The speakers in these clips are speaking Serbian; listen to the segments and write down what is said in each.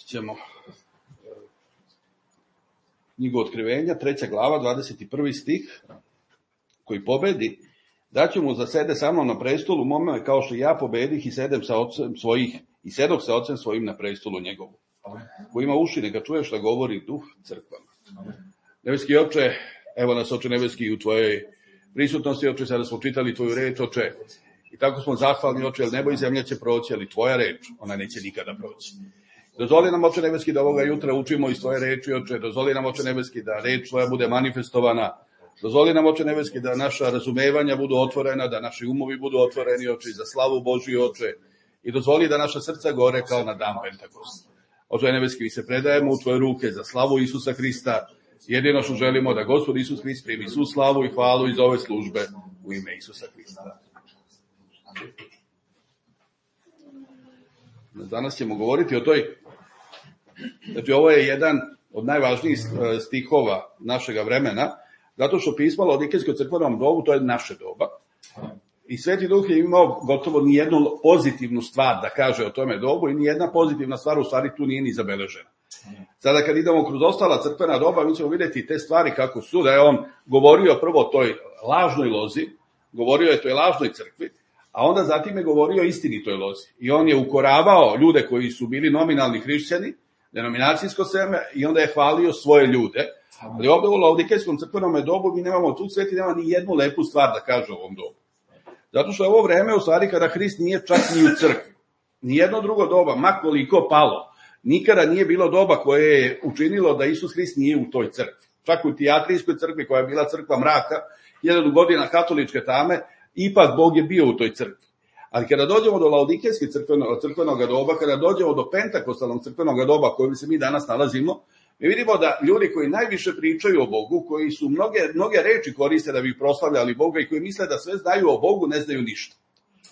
ćemo knjigu Otkrivenja, 3. glava, 21. stih, koji pobedi, daću mu za sede sa mnom na prestolu mome, kao što ja pobedih i sedem sa ocem svojih, i sedok sa ocem svojim na prestolu njegovu. Ko ima uši, neka čuje šta govori duh crkvama. Nebeski Oče, evo nas, Oče nebeski, u tvojoj prisutnosti, Oče, sada smo čitali tvoju reč, Oče, i tako smo zahvalni, Oče, jer nebo i zemlja će proći, ali tvoja reč, ona neće nikada proći. Dozvoli nam, Oče nebeski, da ovoga jutra učimo iz tvoje reči, Oče, dozvoli nam, Oče nebeski, da reč tvoja bude manifestovana, dozvoli nam, Oče nebeski, da naša razumevanja budu otvorena, da naši umovi budu otvoreni, Oče, za slavu Božiju, Oče, i dozvoli da naša srca gore kao na dan Pentakosta. Oče nebeski, mi se predajemo u tvoje ruke za slavu Isusa Hrista. Jedino što želimo da Gospod Isus Hrist primi svu slavu i hvalu iz ove službe u ime Isusa Hrista. Danas ćemo govoriti o toj, znači ovo je jedan od najvažnijih stihova našega vremena, zato što pismo Laodikejskoj crkvenom dobu, to je naše doba. I Sveti Duh je imao gotovo nijednu pozitivnu stvar da kaže o tome dobu i nijedna pozitivna stvar u stvari tu nije ni zabeležena. Sada kad idemo kroz ostala crkvena doba, mi ćemo vidjeti te stvari kako su, da je on govorio prvo o toj lažnoj lozi, govorio je o toj lažnoj crkvi, a onda zatim je govorio o istinitoj lozi. I on je ukoravao ljude koji su bili nominalni hrišćani, denominacijsko seme, i onda je hvalio svoje ljude. Ali ovdje u Laodikejskom crkvenom dobu mi nemamo, tu Sveti nema ni jednu lepu stvar da kaže o ovom dobu. Zato što je ovo vreme u stvari kada Hrist nije čak ni u crkvi. Nijedno drugo doba, ma koliko palo, nikada nije bilo doba koje je učinilo da Isus Hrist nije u toj crkvi. Čak u Tijatrijskoj crkvi, koja je bila crkva mraka, 1000 godina katoličke tame, ipak Bog je bio u toj crkvi. Ali kada dođemo do Laodikejskog crkvenog doba, kada dođemo do Pentakostalnog crkvenog doba kojem se mi danas nalazimo, mi vidimo da ljudi koji najviše pričaju o Bogu, koji su mnoge reči koriste da bi proslavljali Boga i koji misle da sve znaju o Bogu, ne znaju ništa.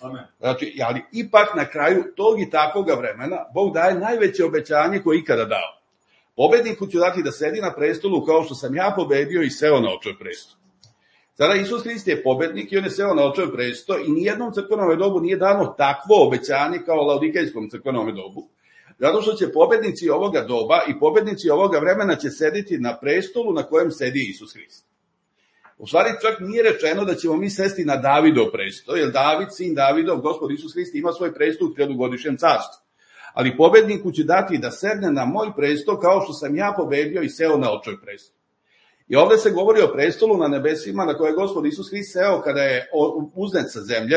Amen. Znači, ali ipak na kraju tog i takvoga vremena Bog daje najveće obećanje koje ikada dao. Pobedniku ću dati da sedi na prestolu kao što sam ja pobedio i seo na očev presto. Sada Isus Hrist je pobednik i on je seo na očev presto i nijednom crkvenom dobu nije dano takvo obećanje kao Laodikejskom crkvenom dobu. Zato što će pobednici ovoga doba i pobednici ovoga vremena će sediti na prestolu na kojem sedi Isus Hrist. U stvari čak nije rečeno da ćemo mi sesti na Davidov presto, jer David, sin Davidov, Gospod Isus Hrist ima svoj presto u 1000-godišnjem carstvu. Ali pobedniku će dati da sedne na moj presto kao što sam ja pobedio i seo na očev presto. I ovdje se govori o prestolu na nebesima na koje je Gospod Isus Hrist seo kada je uznet sa zemlje,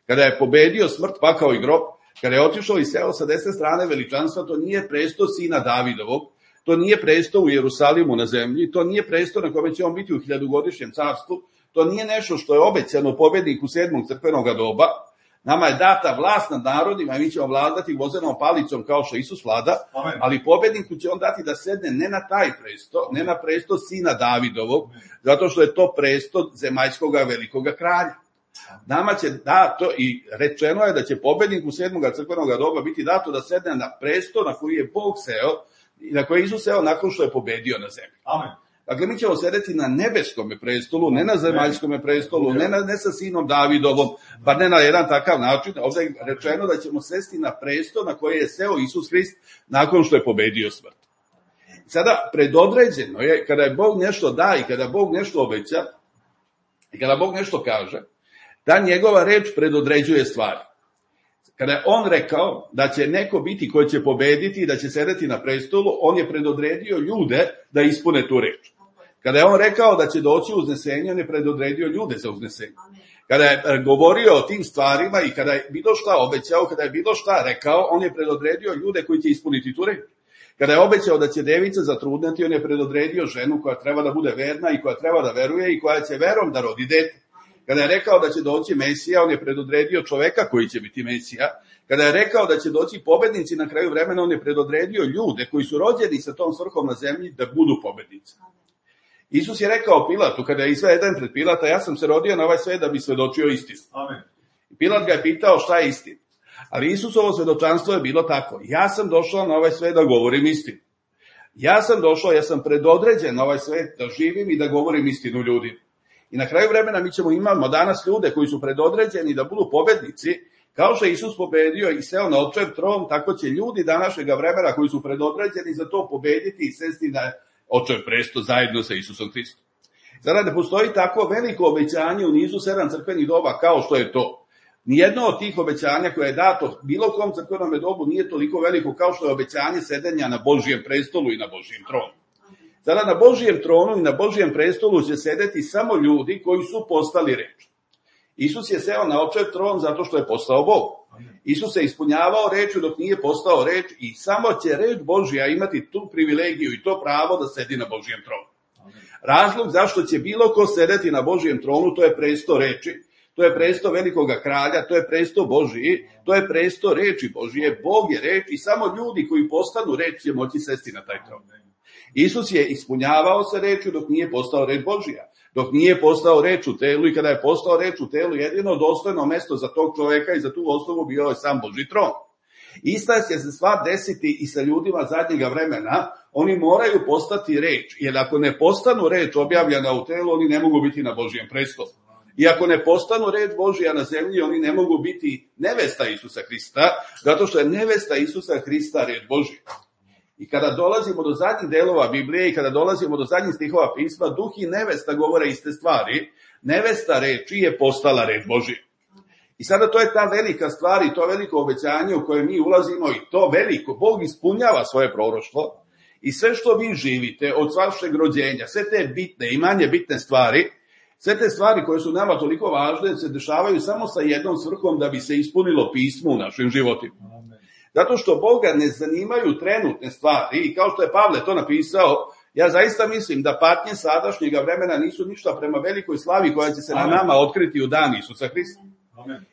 kada je pobedio smrt, pakao i grob. Kada je otišao i seo sa desne strane veličanstva, to nije presto sina Davidovog, to nije presto u Jerusalimu na zemlji, to nije presto na kome će on biti u 1000-godišnjem carstvu, to nije nešto što je obećano pobedniku 7. crkvenog doba. Nama je data vlast nad narodima i mi ćemo vladati vozenom palicom kao što Isus vlada, ali pobedniku će on dati da sedne ne na taj presto, ne na presto sina Davidovog, zato što je to presto zemaljskoga velikoga kralja. Nama će dato i rečeno je da će pobedniku 7. crkvenog doba biti dato da sedne na presto na koji je Bog seo i na koji je Isus seo nakon što je pobedio na zemlji. Amen. Dakle, mi ćemo sedeti na nebeskom prestolu, ne na zemaljskom prestolu, ne sa sinom Davidovom, pa ne na jedan takav način. Ovdje je rečeno da ćemo sesti na presto na koji je seo Isus Hrist nakon što je pobedio smrt. Sada, predodređeno je, kada je Bog nešto da i kada Bog nešto obeća i kada Bog nešto kaže, ta njegova reč predodređuje stvari. Kada je on rekao da će neko biti koji će pobediti i da će sedeti na prestolu, on je predodredio ljude da ispune tu reč. Kada je on rekao da će doći uznesenje, on je predodredio ljude za uznesenje. Kada je govorio o tim stvarima i kada je bilo šta obećao, kada je bilo šta rekao, on je predodredio ljude koji će ispuniti tu reč. Kada je obećao da će devica zatrudneti, on je predodredio ženu koja treba da bude verna i koja treba da veruje i koja će verom da rodi dete. Kada je rekao da će doći Mesija, on je predodredio čoveka koji će biti Mesija. Kada je rekao da će doći pobednici na kraju vremena, on je predodredio ljude koji su rođeni sa tom svrhom na zemlji da budu pobednici. Isus je rekao Pilatu, kada je izveden pred Pilata, ja sam se rodio na ovaj svet da bi svedočio istinu. Amen. Pilat ga je pitao šta je istina. Ali Isusovo svedočanstvo je bilo tako. Ja sam došao na ovaj svet da govorim istinu. Ja sam predodređen na ovaj svet da živim i da govorim istinu ljudima. I na kraju vremena mi ćemo imamo danas ljude koji su predodređeni da budu pobednici Kao što je Isus pobedio i seo na očev tron, tako će ljudi današnjega vremena koji su predodređeni za to pobediti i sesti na očev presto zajedno sa Isusom Hristom. Sada ne postoji tako veliko obećanje u nizu 7 crkvenih doba kao što je to. Nijedno od tih obećanja koje je dato bilo kom crkvenom dobu nije toliko veliko kao što je obećanje sedenja na Božjem prestolu i na Božjem tronu. Sada na Božjem tronu i na Božjem prestolu će sedeti samo ljudi koji su postali reč. Isus je seo na očev tron zato što je postao Bog. Isus se ispunjavao rečju dok nije postao reč i samo će reč Božja imati tu privilegiju i to pravo da sedi na Božjem tronu. Razlog zašto će bilo ko sedeti na Božjem tronu, to je presto reči, to je presto velikoga kralja, to je presto Božji, to je presto reči Božje, Bog je reč i samo ljudi koji postanu reč će moći sesti na taj tron. Isus je ispunjavao se rečju dok nije postao reč Božja, dok nije postao reč u telu i kada je postao reč u telu, jedino dostojno mesto za tog čoveka i za tu osobu bio je sam Božji tron. Ista će se stvar desiti i sa ljudima zadnjega vremena, oni moraju postati reč, jer ako ne postanu reč objavljena u telu, oni ne mogu biti na Božjem prestolu. I ako ne postanu reč Božja na zemlji, oni ne mogu biti nevesta Isusa Hrista, zato što je nevesta Isusa Hrista reč Božja. I kada dolazimo do zadnjih delova Biblije i kada dolazimo do zadnjih stihova pisma, duh i nevesta govore iste stvari. Nevesta reči je postala reč Božja. I sada to je ta velika stvar i to veliko obećanje u koje mi ulazimo i to veliko. Bog ispunjava svoje proroštvo i sve što vi živite od vašeg rođenja, sve te bitne i manje bitne stvari, sve te stvari koje su nama toliko važne se dešavaju samo sa jednom svrhom da bi se ispunilo pismo u našim životima. Zato što Boga ne zanimaju trenutne stvari i kao što je Pavle to napisao, ja zaista mislim da patnje sadašnjega vremena nisu ništa prema velikoj slavi koja će se na nama otkriti u dan Isusa Hrista.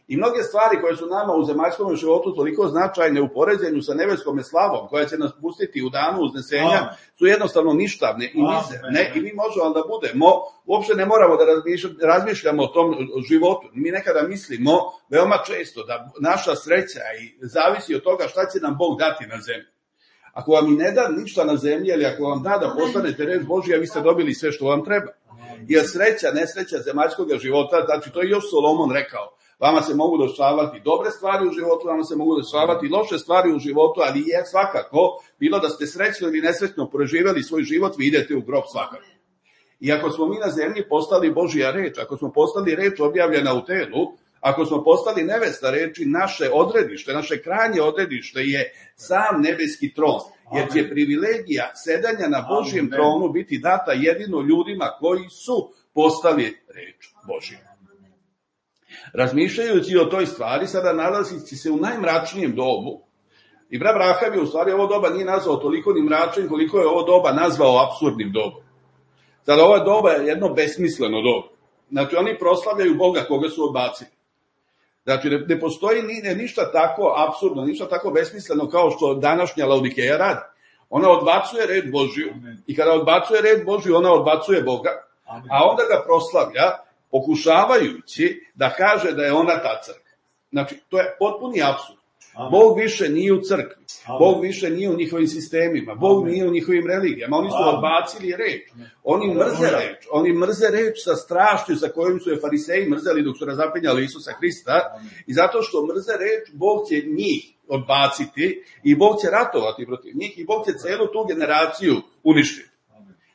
I mnoge stvari koje su nama u zemaljskom životu toliko značajne u poređenju sa nebeskom slavom koja će nas pustiti u danu uznesenja su jednostavno ništavne i mizerne i mi možemo da budemo, uopšte ne moramo da razmišljamo o tom životu. Mi nekada mislimo veoma često da naša sreća i zavisi od toga šta će nam Bog dati na zemlji. Ako vam i ne da ništa na zemlji, ili ako vam da postanete reč Božja, vi ste dobili sve što vam treba. Jer sreća, nesreća zemaljskog života, znači to je još Solomon rekao, vama se mogu dešavati dobre stvari u životu, vama se mogu dešavati loše stvari u životu, ali je svakako, bilo da ste srećno ili nesrećno preživeli svoj život, vi idete u grob svakako. I ako smo mi na zemlji postali Božja reč, ako smo postali reč objavljena u telu, ako smo postali nevesta reči, naše odredište, naše krajnje odredište je sam nebeski tron, jer će privilegija sedanja na Božjem tronu biti data jedino ljudima koji su postali reč Božja. Razmišljajući o toj stvari, sada nalazići se u najmračnijem dobu, i brat Braham je u stvari ovo doba nije nazvao toliko ni mračnim, koliko je ovo doba nazvao apsurdnim dobom. Sada ovo doba je jedno besmisleno doba. Znači oni proslavljaju Boga koga su odbacili. Znači ne postoji ništa tako apsurdno, ništa tako besmisleno kao što današnja Laodikeja radi. Ona odbacuje reč Božju i kada odbacuje reč Božju, ona odbacuje Boga, a onda ga proslavlja pokušavajući da kaže da je ona ta crkva. Znači, to je potpuni apsurd. Bog više nije u crkvi, Bog više nije u njihovim sistemima, Bog nije u njihovim religijama, oni su odbacili reč, oni mrze reč sa strašću sa kojim su je fariseji mrzeli dok su razapinjali Isusa Hrista i zato što mrze reč, Bog će njih odbaciti i Bog će ratovati protiv njih i Bog će celu tu generaciju uništiti.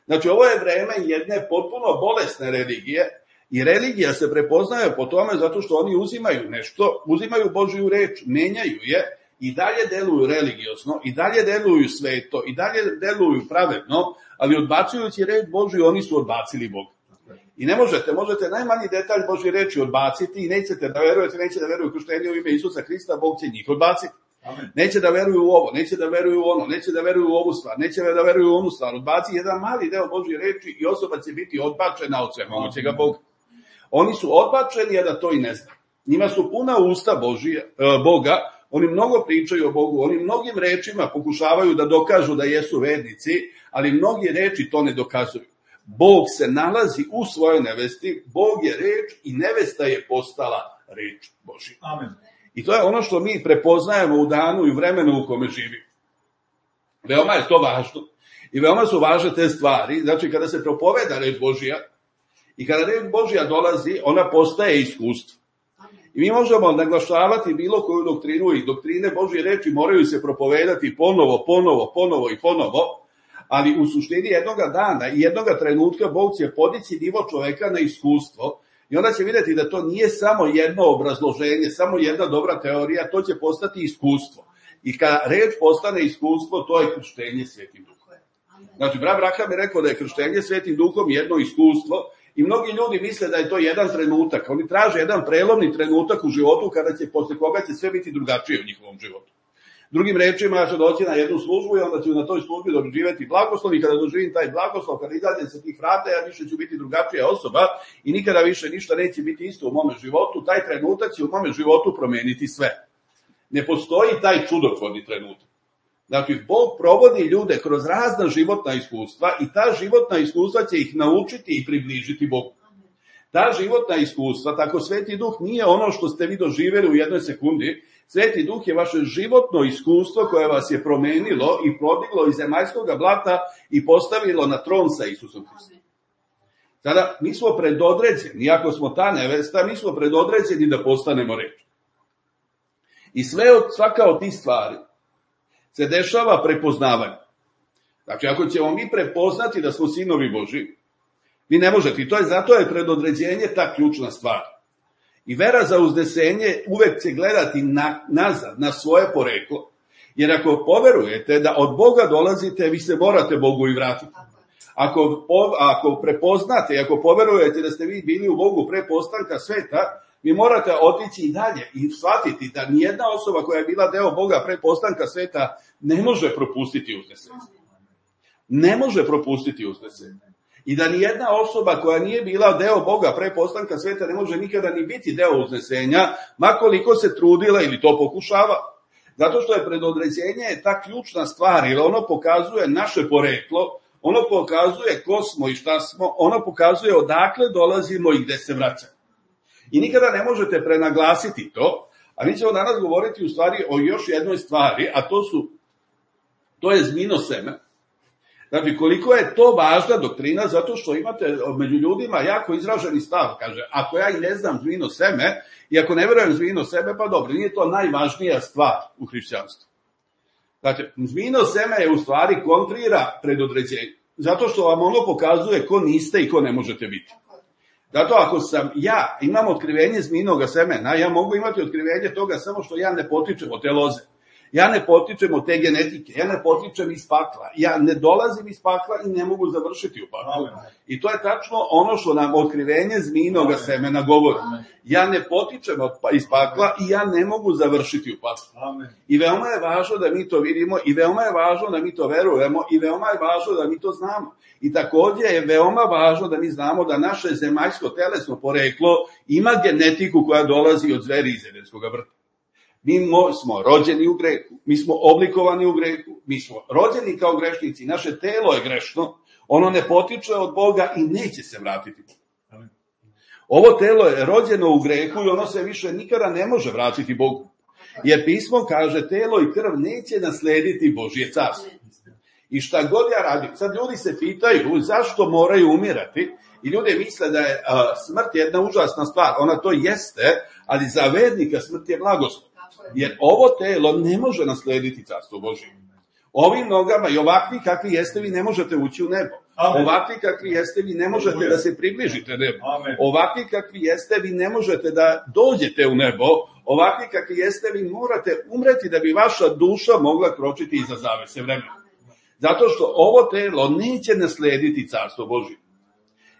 Znači, ovo je vreme jedne potpuno bolesne religije. I religija se prepoznaje po tome zato što oni uzimaju nešto, uzimaju Božju reč, menjaju je i dalje deluju religiozno, i dalje deluju sveto, i dalje deluju pravedno, ali odbacujući reč Božju, oni su odbacili Boga. I ne možete najmanji detalj Božje reči odbaciti i nećete da verujete, neće da veruju u krštenje u ime Isusa Hrista, Bog će njih odbaciti. Neće da veruju u ovo, neće da veruju u ono, neće da veruju u ovu stvar, neće da veruju u onu stvar. Odbaci jedan mali deo Božje reči i osoba će biti odbačena od svemogućega Boga. Oni su odbačeni, a da to i ne zna. Njima su puna usta Boga, oni mnogo pričaju o Bogu, oni mnogim rečima pokušavaju da dokažu da jesu vernici, ali mnogi reči to ne dokazuju. Bog se nalazi u svojoj nevesti, Bog je reč i nevesta je postala reč Božja. Amen. I to je ono što mi prepoznajemo u danu i vremenu u kome živimo. Veoma je to važno i veoma su važne te stvari. Znači, kada se propoveda reč Božja, i kada reč Božja dolazi, ona postaje iskustvo. I mi možemo naglašavati bilo koju doktrinu i doktrine Božje reči moraju se propovedati ponovo i ponovo, ali u suštini jednoga dana i jednoga trenutka Bog će podići nivo čoveka na iskustvo i onda će vidjeti da to nije samo jedno obrazloženje, samo jedna dobra teorija, to će postati iskustvo. I kada reč postane iskustvo, to je krštenje Svetim Duhom. Znači, brat Braham je rekao da je krštenje Svetim Duhom jedno iskustvo i mnogi ljudi misle da je to jedan trenutak. Oni traže jedan prelomni trenutak u životu posle koga će sve biti drugačije u njihovom životu. Drugim rečima, ja ću doći na jednu službu i onda ću na toj službi doživjeti blagoslov i kada doživim taj blagoslov, kada izađem sa tih vrata, ja više ću biti drugačija osoba i nikada više ništa neće biti isto u mome životu. Taj trenutak će u mome životu promeniti sve. Ne postoji taj čudotvorni trenutak. Znači, Bog provodi ljude kroz razna životna iskustva i ta životna iskustva će ih naučiti i približiti Bogu. Ta životna iskustva, tako Sveti Duh nije ono što ste vi doživjeli u jednoj sekundi. Sveti Duh je vaše životno iskustvo koje vas je promenilo i prodiglo iz zemaljskog blata i postavilo na tron sa Isusom Hristom. Sada, mi smo predodređeni, ako smo ta nevesta, mi smo predodređeni da postanemo reč. I svaka od tih stvari se dešava prepoznavanje. Znači, ako ćemo mi prepoznati da smo sinovi Božji, vi ne možete. I zato je predodređenje ta ključna stvar. I vera za uznesenje uvek će gledati nazad, na svoje poreklo. Jer ako poverujete da od Boga dolazite, vi se morate Bogu i vratiti. Ako prepoznate i ako poverujete da ste vi bili u Bogu pre postanka sveta, vi morate otići i dalje i shvatiti da nijedna osoba koja je bila deo Boga pre postanka sveta ne može propustiti uznesenje. Ne može propustiti uznesenje. I da nijedna osoba koja nije bila deo Boga pre postanka sveta ne može nikada ni biti deo uznesenja, makoliko se trudila ili to pokušava. Zato što je predodređenje ta ključna stvar, jer ono pokazuje naše poreklo, ono pokazuje ko smo i šta smo, ono pokazuje odakle dolazimo i gde se vraćamo. I nikada ne možete prenaglasiti to, a mi ćemo danas govoriti u stvari o još jednoj stvari, a to je zmijino seme. Znači, koliko je to važna doktrina, zato što imate među ljudima jako izraženi stav, kaže, ako ja i ne znam zmijino seme, i ako ne verujem zmijino seme, pa dobro, nije to najvažnija stvar u hrišćanstvu. Znači, zmijino seme je u stvari kontrira predodređenje, zato što vam ono pokazuje ko niste i ko ne možete biti. Zato ako imam otkrivenje zmijinoga semena, ja mogu imati otkrivenje toga samo što ja ne potičem od te loze. Ja ne potičem od te genetike, ja ne potičem iz pakla, ja ne dolazim iz pakla i ne mogu završiti u paklu. I to je tačno ono što nam otkrivenje zmijinoga semena govori. Ja ne potičem iz pakla i ja ne mogu završiti u paklu. I veoma je važno da mi to vidimo i veoma je važno da mi to verujemo i veoma je važno da mi to znamo. I također je veoma važno da mi znamo da naše zemaljsko telesno poreklo ima genetiku koja dolazi od zveri iz Edenskog vrta. Mi smo rođeni u grehu, mi smo oblikovani u grehu, mi smo rođeni kao grešnici, naše telo je grešno, ono ne potiče od Boga i neće se vratiti. Ovo telo je rođeno u grehu i ono se više nikada ne može vratiti Bogu. Jer pismo kaže, telo i krv neće naslediti Božje carstvo. I šta god ja radim, sad ljudi se pitaju zašto moraju umirati i ljudi misle da je smrt jedna užasna stvar, ona to jeste, ali za vernika smrt je blagoslov. Jer ovo telo ne može naslediti carstvo Božje. Ovim nogama i ovakvi kakvi jeste vi ne možete ući u nebo. Ovakvi kakvi jeste vi ne možete da se približite nebu. Ovakvi kakvi jeste vi ne možete da dođete u nebo. Ovakvi kakvi jeste vi morate umreti da bi vaša duša mogla kročiti iza zavese vremena. Zato što ovo telo neće naslediti carstvo Božje.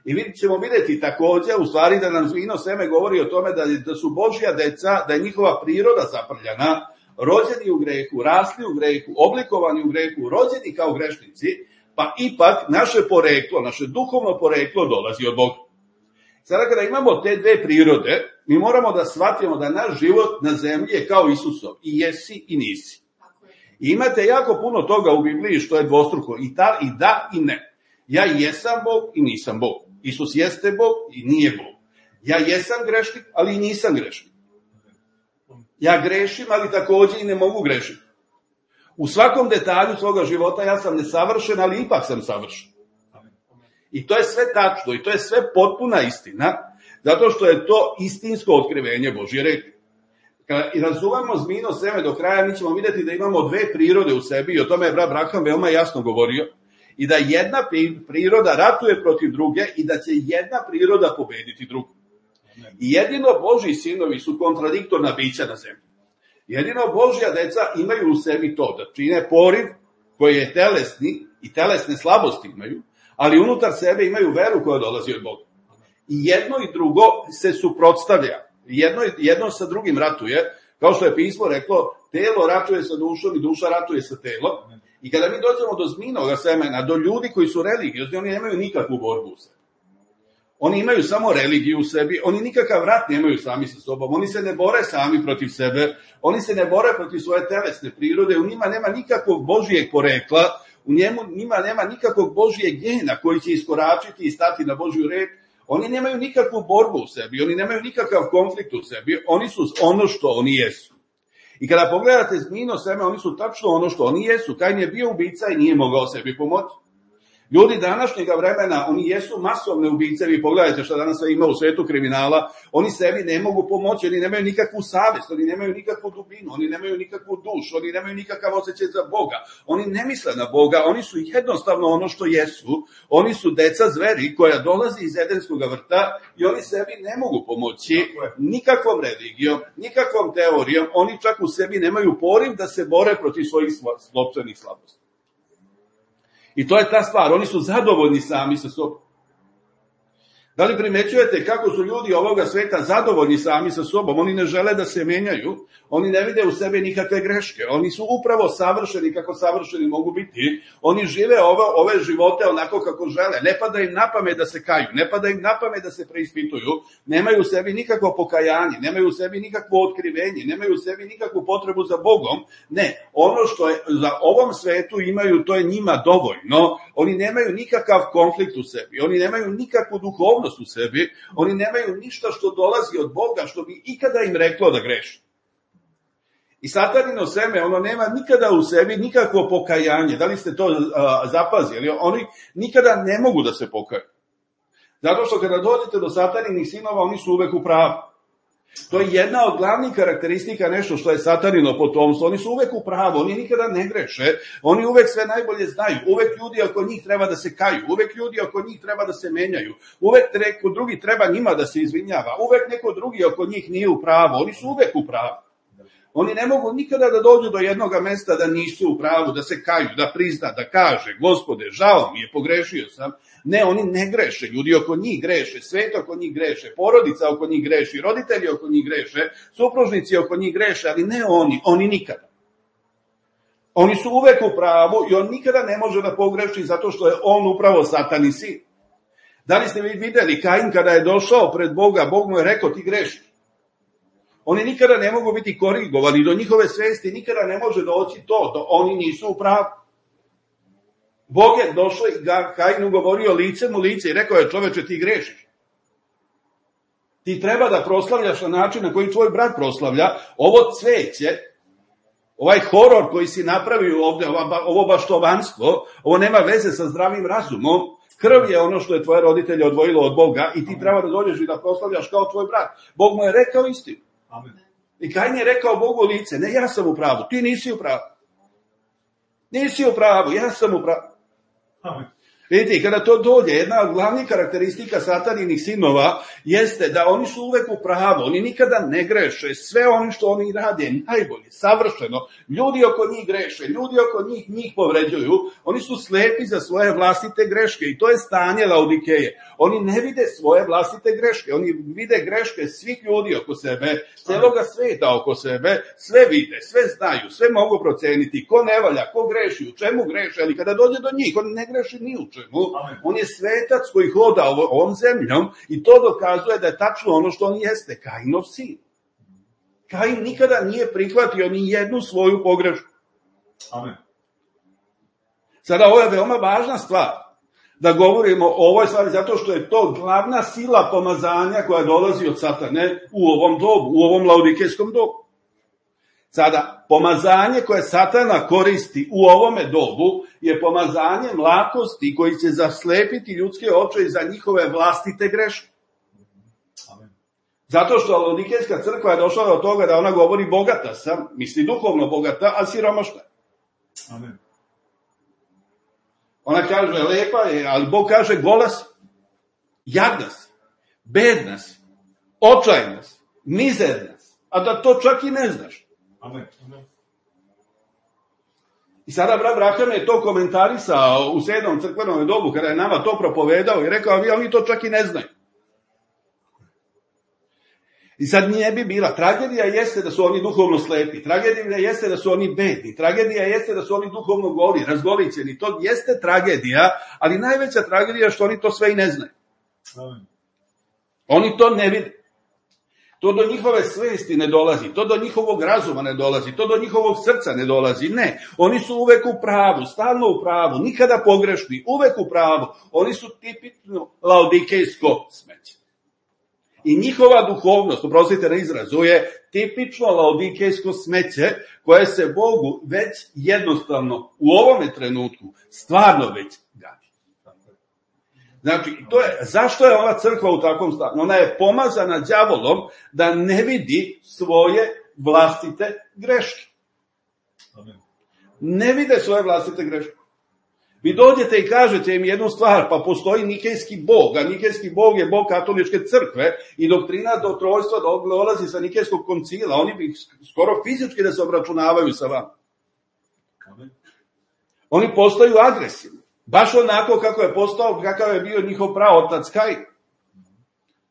I ćemo vidjeti također, u stvari da nam zmijino seme govori o tome da su Božja deca, da je njihova priroda zaprljana, rođeni u grehu, rasli u grehu, oblikovani u grehu, rođeni kao grešnici, pa ipak naše poreklo, naše duhovno poreklo dolazi od Boga. Sada kada imamo te dve prirode, mi moramo da shvatimo da naš život na zemlji je kao Isusov, i jesi i nisi. I imate jako puno toga u Bibliji što je dvostruko, i da i ne. Ja jesam Bog i nisam Bog. Isus jeste Bog i nije Bog. Ja jesam grešnik, ali i nisam grešnik. Ja grešim, ali također i ne mogu grešiti. U svakom detalju svoga života ja sam nesavršen, ali ipak sam savršen. I to je sve tačno, i to je sve potpuna istina. Zato što je to istinsko otkrivenje Božje reči. Kada i razumemo zmijino seme do kraja, mi ćemo vidjeti da imamo dve prirode u sebi, i o tome je brat Braham veoma jasno govorio, i da jedna priroda ratuje protiv druge i da će jedna priroda pobediti drugu. I jedino Božji sinovi su kontradiktorna bića na zemlji. Jedino Božja deca imaju u sebi to, da čine poriv koji je telesni i telesne slabosti imaju, ali unutar sebe imaju veru koja dolazi od Boga. I jedno i drugo se suprotstavlja. Jedno sa drugim ratuje, kao što je pismo reklo, telo ratuje sa dušom i duša ratuje sa telom. I kada mi dođemo do zmijinoga semena, do ljudi koji su religiozni, oni nemaju nikakvu borbu u sebi. Oni imaju samo religiju u sebi, oni nikakav rat nemaju sami sa sobom, oni se ne bore sami protiv sebe, oni se ne bore protiv svoje telesne prirode, u njima nema nikakvog Božijeg porekla, u njima nema nikakvog Božijeg gena koji će iskoračiti i stati na Božju reč. Oni nemaju nikakvu borbu u sebi, oni nemaju nikakav konflikt u sebi, oni su ono što oni jesu. I kada pogledate zmijino seme, oni su tačno ono što oni jesu. Kain je bio ubica i nije mogao sebi pomoći. Ljudi današnjega vremena, oni jesu masovne ubice, vi pogledajte što danas sve ima u svetu kriminala, oni sebi ne mogu pomoći, oni nemaju nikakvu savjest, oni nemaju nikakvu dubinu, oni nemaju nikakvu dušu, oni nemaju nikakav osjećaj za Boga, oni ne misle na Boga, oni su jednostavno ono što jesu, oni su deca zveri koja dolazi iz Edenskog vrta i oni sebi ne mogu pomoći nikakvom religijom, nikakvom teorijom, oni čak u sebi nemaju poriv da se bore protiv svojih sopstvenih slabosti. I to je ta stvar, oni su zadovoljni sami sa sobom. Da li primećujete kako su ljudi ovoga sveta zadovoljni sami sa sobom? Oni ne žele da se menjaju, oni ne vide u sebi nikakve greške, oni su upravo savršeni kako savršeni mogu biti, oni žive ove živote onako kako žele, ne pada im na pamet da se kaju, ne pada im na pamet da se preispituju, nemaju u sebi nikakvo pokajanje, nemaju u sebi nikakvo otkrivenje, nemaju u sebi nikakvu potrebu za Bogom, ne, ono što je za ovom svetu imaju, to je njima dovoljno, oni nemaju nikakav konflikt u sebi, oni nemaju nikakvu duhovnost u sebi, oni nemaju ništa što dolazi od Boga, što bi ikada im reklo da greši. I satanino seme, ono nema nikada u sebi nikakvo pokajanje. Da li ste to zapazili? Oni nikada ne mogu da se pokaju. Zato što kada dođete do sataninih sinova, oni su uvek u pravu. To je jedna od glavnih karakteristika, nešto što je satanino potomstvo. Oni su uvek u pravu, oni nikada ne greše, oni uvek sve najbolje znaju, uvek ljudi oko njih treba da se kaju, uvek ljudi oko njih treba da se menjaju, uvek neko drugi treba njima da se izvinjava, uvek neko drugi oko njih nije u pravu, oni su uvek u pravu. Oni ne mogu nikada da dođu do jednog mesta da nisu u pravu, da se kaju, da prizna, da kaže, Gospode, žao mi je, pogrešio sam. Ne, oni ne greše, ljudi oko njih greše, svet oko njih greše, porodica oko njih greši, roditelji oko njih greše, supružnici oko njih greše, ali ne oni nikada. Oni su uvek u pravu i on nikada ne može da pogreši zato što je on upravo satani sin. Da li ste vi videli Kain kada je došao pred Boga, Bog mu je rekao ti grešiš. Oni nikada ne mogu biti korigovani, do njihove svesti nikada ne može doći to, da oni nisu u pravu. Bog je došao i Kainu govorio licem u lice i rekao je čoveče ti grešiš. Ti treba da proslavljaš na način na koji tvoj brat proslavlja, ovo cveće, ovaj horor koji si napravio ovde, ovo baštovanstvo, ovo nema veze sa zdravim razumom, krv je ono što je tvoje roditelje odvojilo od Boga i ti treba da dođeš i da proslavljaš kao tvoj brat. Bog mu je rekao istinu. Amen. I Kain je rekao Bogu u lice, ne, ja sam u pravu, ti nisi u pravu. Nisi u pravu, ja sam u pravu. Amen. Vidite, kada to dođe, jedna od glavnih karakteristika sataninih sinova jeste da oni su uvek u pravu, oni nikada ne greše, sve ono što oni rade najbolje, savršeno, ljudi oko njih greše, ljudi oko njih povređuju, oni su slepi za svoje vlastite greške i to je stanje Laodikeje. Oni ne vide svoje vlastite greške, oni vide greške svih ljudi oko sebe, celoga sveta oko sebe, sve vide, sve znaju, sve mogu proceniti, ko ne valja, ko greši, u čemu greše, ali kada dođe do njih, on ne greši ni u čemu. On je svetac koji hoda ovom zemljom i to dokazuje da je tačno ono što on jeste, Kainov sin. Kain nikada nije prihvatio ni jednu svoju pogrešku. Amen. Sada ovo je veoma važna stvar da govorimo o ovoj stvari zato što je to glavna sila pomazanja koja dolazi od satane u ovom dobu, u ovom laodikejskom dobu. Sada, pomazanje koje satana koristi u ovome dobu je pomazanje mlakosti koji će zaslepiti ljudske oči za njihove vlastite greške. Zato što Laodikejska crkva je došla do toga da ona govori bogata sam, misli duhovno bogata, a siromašna. Amen. Ona kaže lepa je, ali Bog kaže gola si, jadna si, bedna si, očajna si, mizerna si, a da to čak i ne znaš. Amen. I sada brat Braham je to komentarisao u 7. crkvenom dobu, kada je nama to propovedao i rekao, oni to čak i ne znaju. I sad nije bi bila. Tragedija jeste da su oni duhovno slepi, tragedija jeste da su oni bedni, tragedija jeste da su oni duhovno goli, razgolićeni. To jeste tragedija, ali najveća tragedija je što oni to sve i ne znaju. Amen. Oni to ne vide. To do njihove svesti ne dolazi, to do njihovog razuma ne dolazi, to do njihovog srca ne dolazi. Ne, oni su uvek u pravu, stalno u pravu, nikada pogrešni, uvek u pravu. Oni su tipično laodikejsko smeće. I njihova duhovnost, oprostite na izrazu, je tipično laodikejsko smeće koje se Bogu već jednostavno u ovome trenutku stvarno već gadi. Znači, zašto je ova crkva u takvom stanju? Ona je pomazana đavolom da ne vidi svoje vlastite greške. Ne vide svoje vlastite greške. Vi dođete i kažete im jednu stvar, pa postoji nikejski bog, a nikejski bog je bog katoličke crkve i doktrina do trojstva dolazi sa nikejskog koncila, oni bi skoro fizički da se obračunavaju sa vama. Oni postaju agresivni, baš onako kakav je bio njihov praotac Kain.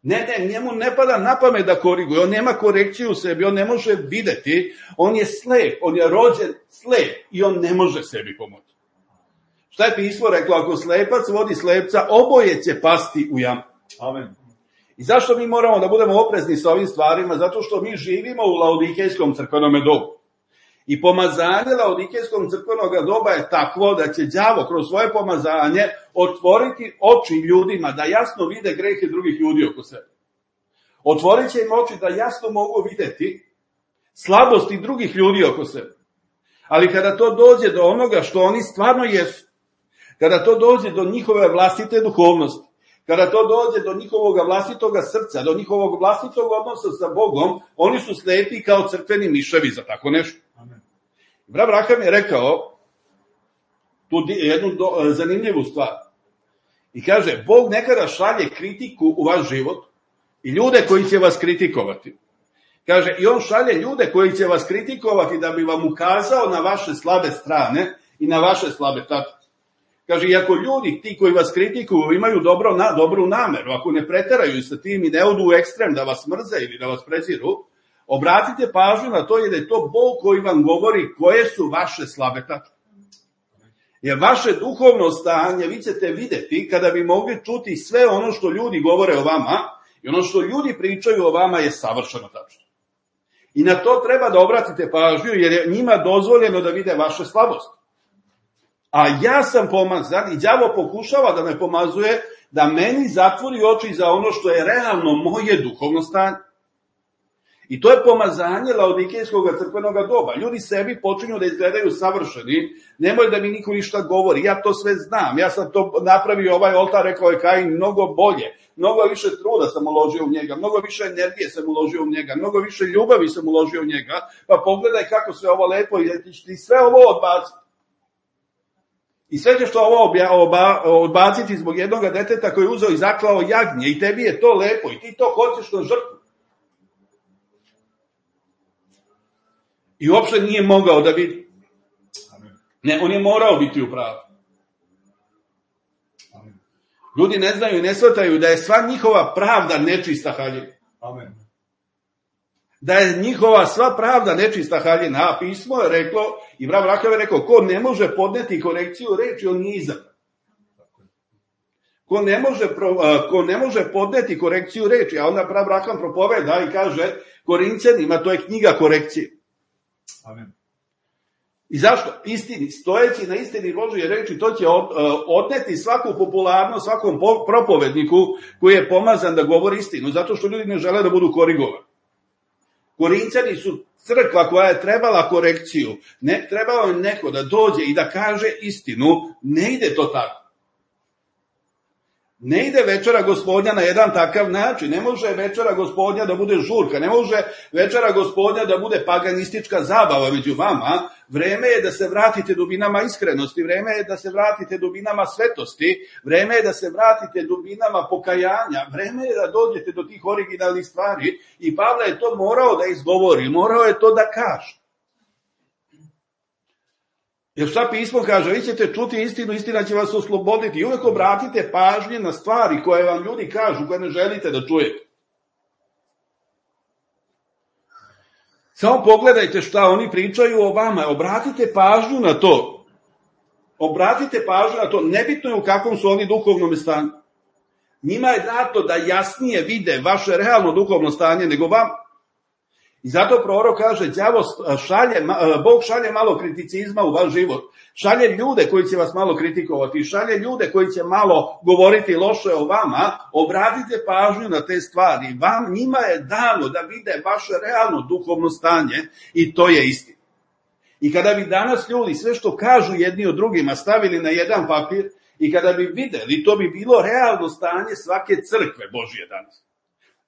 Ne, njemu ne pada na pamet da koriguje, on nema korekciju u sebi, on ne može videti, on je slep, on je rođen slep i on ne može sebi pomoći. Šta je pismo reklo? Ako slepac vodi slepca, oboje će pasti u jamu. Amen. I zašto mi moramo da budemo oprezni sa ovim stvarima? Zato što mi živimo u laodikejskom crkvenom dobu. I pomazanje laodikejskom crkvenog doba je takvo da će đavo kroz svoje pomazanje otvoriti oči ljudima da jasno vide grehe drugih ljudi oko sebe. Otvorit će im oči da jasno mogu videti slabosti drugih ljudi oko sebe. Ali kada to dođe do onoga što oni stvarno jesu, kada to dođe do njihove vlastite duhovnosti, kada to dođe do njihovog vlastitog srca, do njihovog vlastitog odnosa sa Bogom, oni su slepi kao crkveni miševi za tako nešto. Amen. Brat Braham je rekao tu jednu zanimljivu stvar. I kaže, Bog nekada šalje kritiku u vaš život i ljude koji će vas kritikovati. Kaže, i on šalje ljude koji će vas kritikovati da bi vam ukazao na vaše slabe strane i na vaše slabe tačke. Kaže, i ako ljudi, ti koji vas kritikuju, imaju dobru nameru, ako ne preteraju sa tim i ne odu u ekstrem da vas mrze ili da vas preziru, obratite pažnju na to jer je to Bog koji vam govori koje su vaše slabe tačke. Jer vaše duhovno stanje vi ćete videti kada bi mogli čuti sve ono što ljudi govore o vama i ono što ljudi pričaju o vama je savršeno tačno. I na to treba da obratite pažnju jer je njima dozvoljeno da vide vaše slabosti. A ja sam pomazan i đavo pokušava da me pomazuje da meni zatvori oči za ono što je realno moje duhovno stanje. I to je pomazanje laodikejskog crkvenog doba. Ljudi sebi počinju da izgledaju savršeni, nemoj da mi niko ništa govori, ja to sve znam, ja sam to napravio, ovaj oltar, rekao je Kain, mnogo bolje, mnogo više truda sam uložio u njega, mnogo više energije sam uložio u njega, mnogo više ljubavi sam uložio u njega, pa pogledaj kako sve ovo lepo i ti sve ovo odbaciti. I sve ćeš to ovo odbaciti zbog jednog deteta koji je uzeo i zaklao jagnje i tebi je to lepo i ti to hoćeš na žrtvu. I uopšte nije mogao da vidi. Ne, on je morao biti u pravu. Ljudi ne znaju i ne shvataju da je sva njihova pravda nečista haljina. Amen. Da je njihova sva pravda nečista haljina. A pismo je reklo, i brat Braham je rekao, ko ne može podneti korekciju reči, on nije izabran. Ko ne može podneti korekciju reči, a onda brat Braham propoveda i kaže Korinćanima, to je knjiga korekcije. Amen. I zašto? Istini, stojeći na istini Božje reči, to će odneti svaku popularnost svakom propovedniku koji je pomazan da govori istinu, zato što ljudi ne žele da budu korigovani. Korinćani su crkva koja je trebala korekciju, ne trebalo je neko da dođe i da kaže istinu, ne ide to tako. Ne ide večera Gospodnja na jedan takav način. Ne može večera Gospodnja da bude žurka, ne može večera Gospodnja da bude paganistička zabava među vama. Vreme je da se vratite dubinama iskrenosti, vreme je da se vratite dubinama svetosti, vreme je da se vratite dubinama pokajanja, vreme je da dođete do tih originalnih stvari i Pavle je to morao da izgovori, morao je to da kaže. Jer šta pismo kaže, vi ćete čuti istinu, istina će vas osloboditi i uvek obratite pažnje na stvari koje vam ljudi kažu, koje ne želite da čujete. Samo pogledajte šta oni pričaju o vama, obratite pažnju na to. Obratite pažnju na to, nebitno je u kakvom su oni duhovnom stanju. Njima je dato da jasnije vide vaše realno duhovno stanje nego vam. I zato prorok kaže, Bog šalje malo kriticizma u vaš život, šalje ljude koji će vas malo kritikovati, šalje ljude koji će malo govoriti loše o vama, obratite pažnju na te stvari. Njima je dano da vide vaše realno duhovno stanje i to je istina. I kada bi danas ljudi sve što kažu jedni od drugima stavili na jedan papir i kada bi videli, to bi bilo realno stanje svake crkve Božije danas.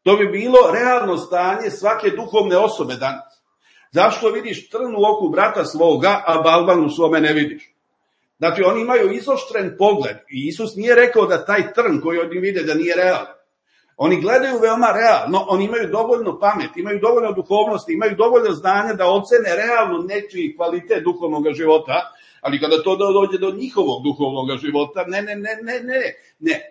To bi bilo realno stanje svake duhovne osobe danas. Zašto vidiš trn u oku brata svoga, a balvan u svome ne vidiš? Znači, oni imaju izoštren pogled i Isus nije rekao da taj trn koji oni vide da nije realan. Oni gledaju veoma realno, oni imaju dovoljno pameti, imaju dovoljno duhovnosti, imaju dovoljno znanja da ocene realno nečiji kvalitet duhovnog života, ali kada to dođe do njihovog duhovnog života, ne,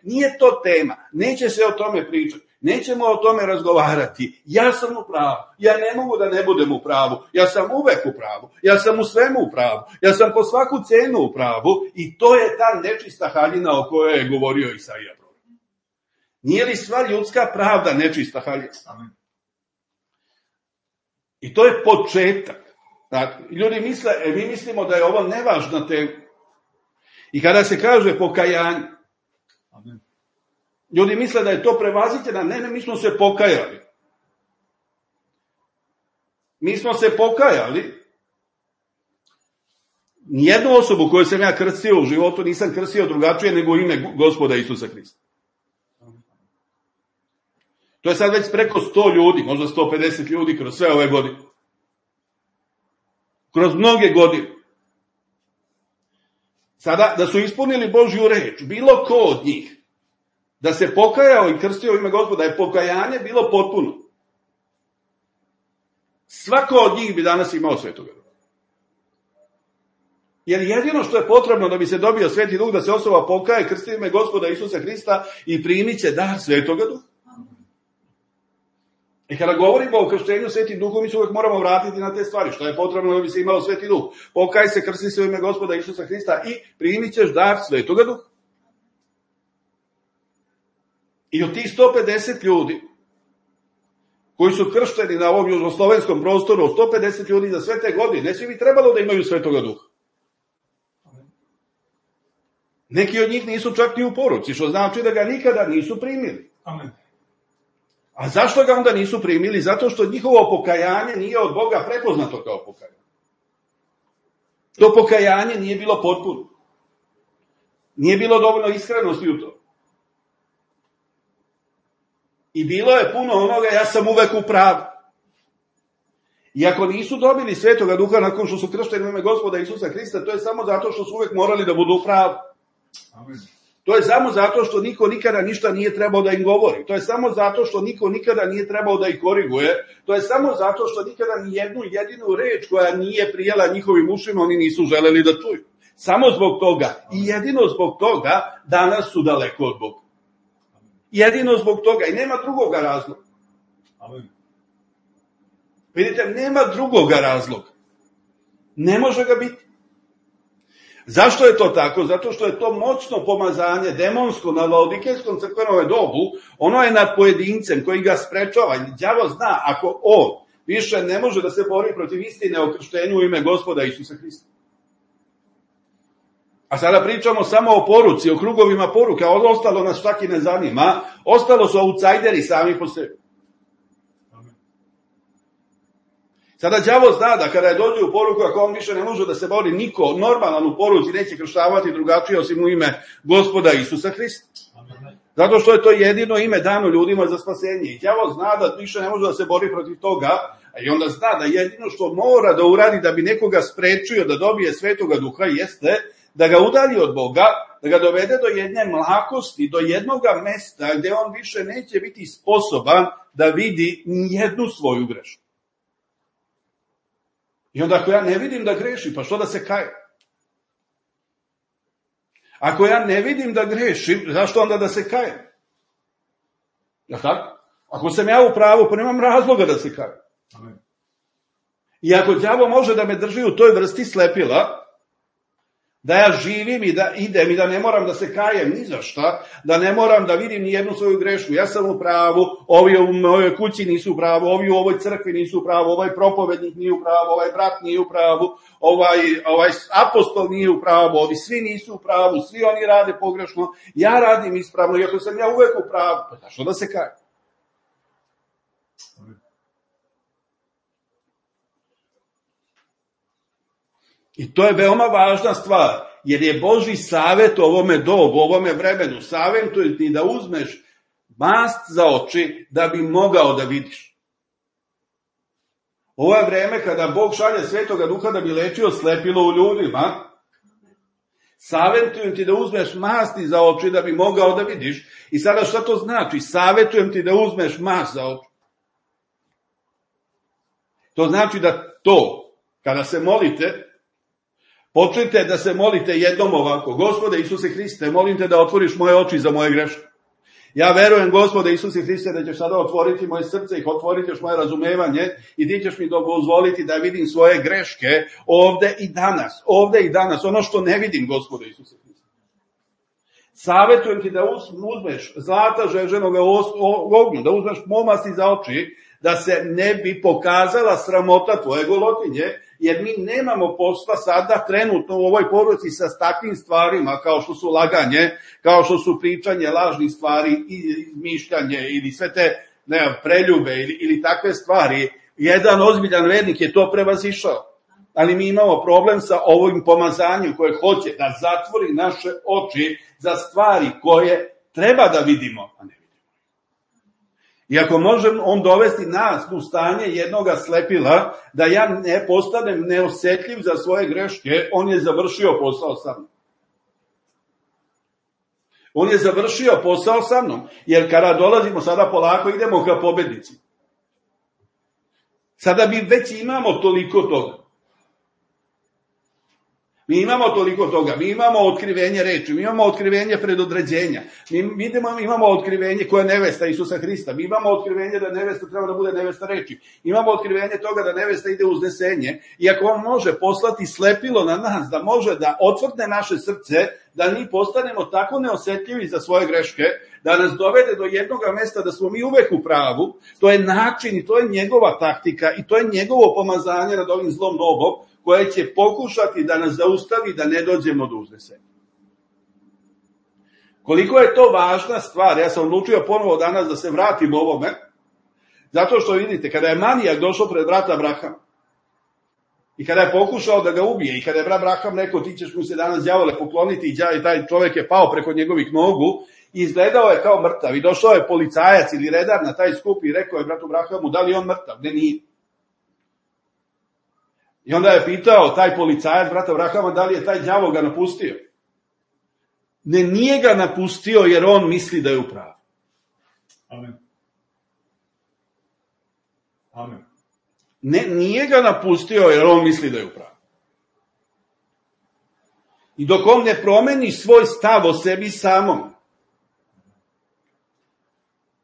nije to tema, neće se o tome pričati. Nećemo o tome razgovarati. Ja sam u pravu. Ja ne mogu da ne budem u pravu. Ja sam uvek u pravu. Ja sam u svemu u pravu. Ja sam po svaku cenu u pravu. I to je ta nečista haljina o kojoj je govorio Isaija. Nije li sva ljudska pravda nečista haljina? Amen. I to je početak. Dakle, ljudi misle, mi mislimo da je ovo nevažna tema. I kada se kaže pokajanje, amen. Ljudi misle da je to prevaziđeno. Ne, mi smo se pokajali. Mi smo se pokajali. Nijednu osobu koju sam ja krstio u životu nisam krstio drugačije nego ime Gospoda Isusa Hrista. To je sad već preko 100 ljudi, možda 150 ljudi kroz sve ove godine. Kroz mnoge godine. Sada, da su ispunili Božju reč, bilo ko od njih, da se pokajao i krstio u ime Gospoda, je pokajanje bilo potpuno. Svako od njih bi danas imao Svetoga Duha. Jer jedino što je potrebno da bi se dobio Sveti Duh, da se osoba pokaje, krsti u ime Gospoda Isusa Hrista i primit će dar Svetoga Duha. I kada govorimo o krštenju Svetim Duhom, mi se uvek moramo vratiti na te stvari. Što je potrebno da bi se imao Sveti Duh? Pokaj se, krsti se u ime Gospoda Isusa Hrista i primit ćeš dar Svetoga Duha. I od tih 150 ljudi koji su kršteni na ovom južnoslovenskom prostoru, 150 ljudi za sve te godine, ne svi bi trebalo da imaju Svetoga Duha. Neki od njih nisu čak ni u poruci, što znači da ga nikada nisu primili. Amen. A zašto ga onda nisu primili? Zato što njihovo pokajanje nije od Boga prepoznato kao pokajanje. To pokajanje nije bilo potpuno. Nije bilo dovoljno iskrenosti u to. I bilo je puno onoga, ja sam uvek u pravu. I ako nisu dobili Svetoga Duha nakon što su kršteni u ime Gospoda Isusa Hrista, to je samo zato što su uvek morali da budu u pravu. Amen. To je samo zato što niko nikada ništa nije trebao da im govori. To je samo zato što niko nikada nije trebao da ih koriguje. To je samo zato što nikada ni jednu jedinu reč koja nije prijela njihovim ušima, oni nisu želeli da čuju. Samo zbog toga i jedino zbog toga danas su daleko od Boga. Jedino zbog toga i nema drugoga razloga. Amen. Vidite, nema drugoga razloga. Ne može ga biti. Zašto je to tako? Zato što je to moćno pomazanje, demonsko, na laodikejskom crkvenom dobu, ono je nad pojedincem koji ga sprečava. Đavo zna, ako on više ne može da se bori protiv istine o krštenju u ime Gospoda Isusa Hrista. A sada pričamo samo o poruci, o krugovima poruke, a ostalo nas čak i ne zanima. Ostalo su autsajderi sami po sebi. Sada đavo zna da kada je dođe u poruku, ako on više ne može da se bori, niko normalan u poruci neće krštavati drugačije osim u ime Gospoda Isusa Hrista. Zato što je to jedino ime dano ljudima za spasenje. I đavo zna da više ne može da se bori protiv toga, a i onda zna da jedino što mora da uradi da bi nekoga sprečio da dobije Svetoga Duha jeste da ga udalji od Boga, da ga dovede do jedne mlakosti, do jednoga mesta gde on više neće biti sposoban da vidi nijednu svoju grešku. I onda ako ja ne vidim da greši, pa što da se kaje? Ako ja ne vidim da grešim, zašto onda da se kajem? Ja tako? Ako sam ja u pravu, pa nemam razloga da se kajem. I ako đavo može da me drži u toj vrsti slepila, da ja živim i da idem i da ne moram da se kajem ni za šta, da ne moram da vidim ni jednu svoju grešku, ja sam u pravu, ovi u mojoj kući nisu u pravu, ovi u ovoj crkvi nisu u pravu, ovaj propovednik nije u pravu, ovaj brat nije u pravu, ovaj apostol nije u pravu, ovi svi nisu u pravu, svi oni rade pogrešno, ja radim ispravno, i ako sam ja uvek u pravu, pa zašto da se kajem? I to je veoma važna stvar, jer je Božji savet ovome dobu, ovome vremenu, savjetuje ti da uzmeš mast za oči da bi mogao da vidiš. Ovo je vreme kada Bog šalje Svetoga Duha da bi lečio slepilo u ljudima. Savjetujem ti da uzmeš masti za oči da bi mogao da vidiš. I sada šta to znači? Savjetujem ti da uzmeš mast za oči. To znači da to, kada se molite, počnite da se molite jednom ovako: Gospode Isuse Hriste, molim te da otvoriš moje oči za moje greške. Ja verujem, Gospode Isuse Hriste, da ćeš sada otvoriti moje srce i otvoriti još moje razumevanje i ti ćeš mi dozvoliti da vidim svoje greške ovde i danas, ono što ne vidim, Gospode Isuse Hriste. Savjetujem ti da uzmeš zlata žeženoga ognju, da uzmeš momasti za oči, da se ne bi pokazala sramota tvoje golotinje, jer mi nemamo posla sada trenutno u ovoj porodici sa takvim stvarima kao što su laganje, kao što su pričanje lažnih stvari i izmišljanje ili sve te preljube ili takve stvari. Jedan ozbiljan vernik je to prevazišao. Ali mi imamo problem sa ovim pomazanjem koje hoće da zatvori naše oči za stvari koje treba da vidimo, a ne vidimo. I ako možem on dovesti nas u stanje jednoga slepila, da ja ne postanem neosetljiv za svoje greške, on je završio posao sa mnom. On je završio posao sa mnom, jer kada dolazimo sada polako, idemo ka pobednici. Sada mi već imamo toliko toga. Mi imamo toliko toga, mi imamo otkrivenje reči, mi imamo otkrivenje predodređenja, mi imamo otkrivenje koja je nevesta Isusa Hrista, mi imamo otkrivenje da nevesta treba da bude nevesta reči, imamo otkrivenje toga da nevesta ide uznesenje, i ako on može poslati slepilo na nas, da može da otvrne naše srce, da mi postanemo tako neosetljivi za svoje greške, da nas dovede do jednog mesta da smo mi uvek u pravu, to je način i to je njegova taktika i to je njegovo pomazanje nad ovim zlom dobom, koje će pokušati da nas zaustavi da ne dođemo do uznesenja. Koliko je to važna stvar, ja sam odlučio ponovo danas da se vratim ovome, zato što vidite, kada je manijak došao pred brata Abrahama, i kada je pokušao da ga ubije, i kada je brat Abraham rekao ti ćeš mu se danas đavole pokloniti, i taj čovjek je pao preko njegovih nogu, i izgledao je kao mrtav, i došao je policajac ili redar na taj skup i rekao je bratu Abrahamu da li je on mrtav, ne nije. I onda je pitao taj policajac brata Abrahama da li je taj đavo ga napustio. Ne, nije ga napustio jer on misli da je u pravu. Amen. Amen. Ne, nije ga napustio jer on misli da je u pravu. I dok on ne promeni svoj stav o sebi samom,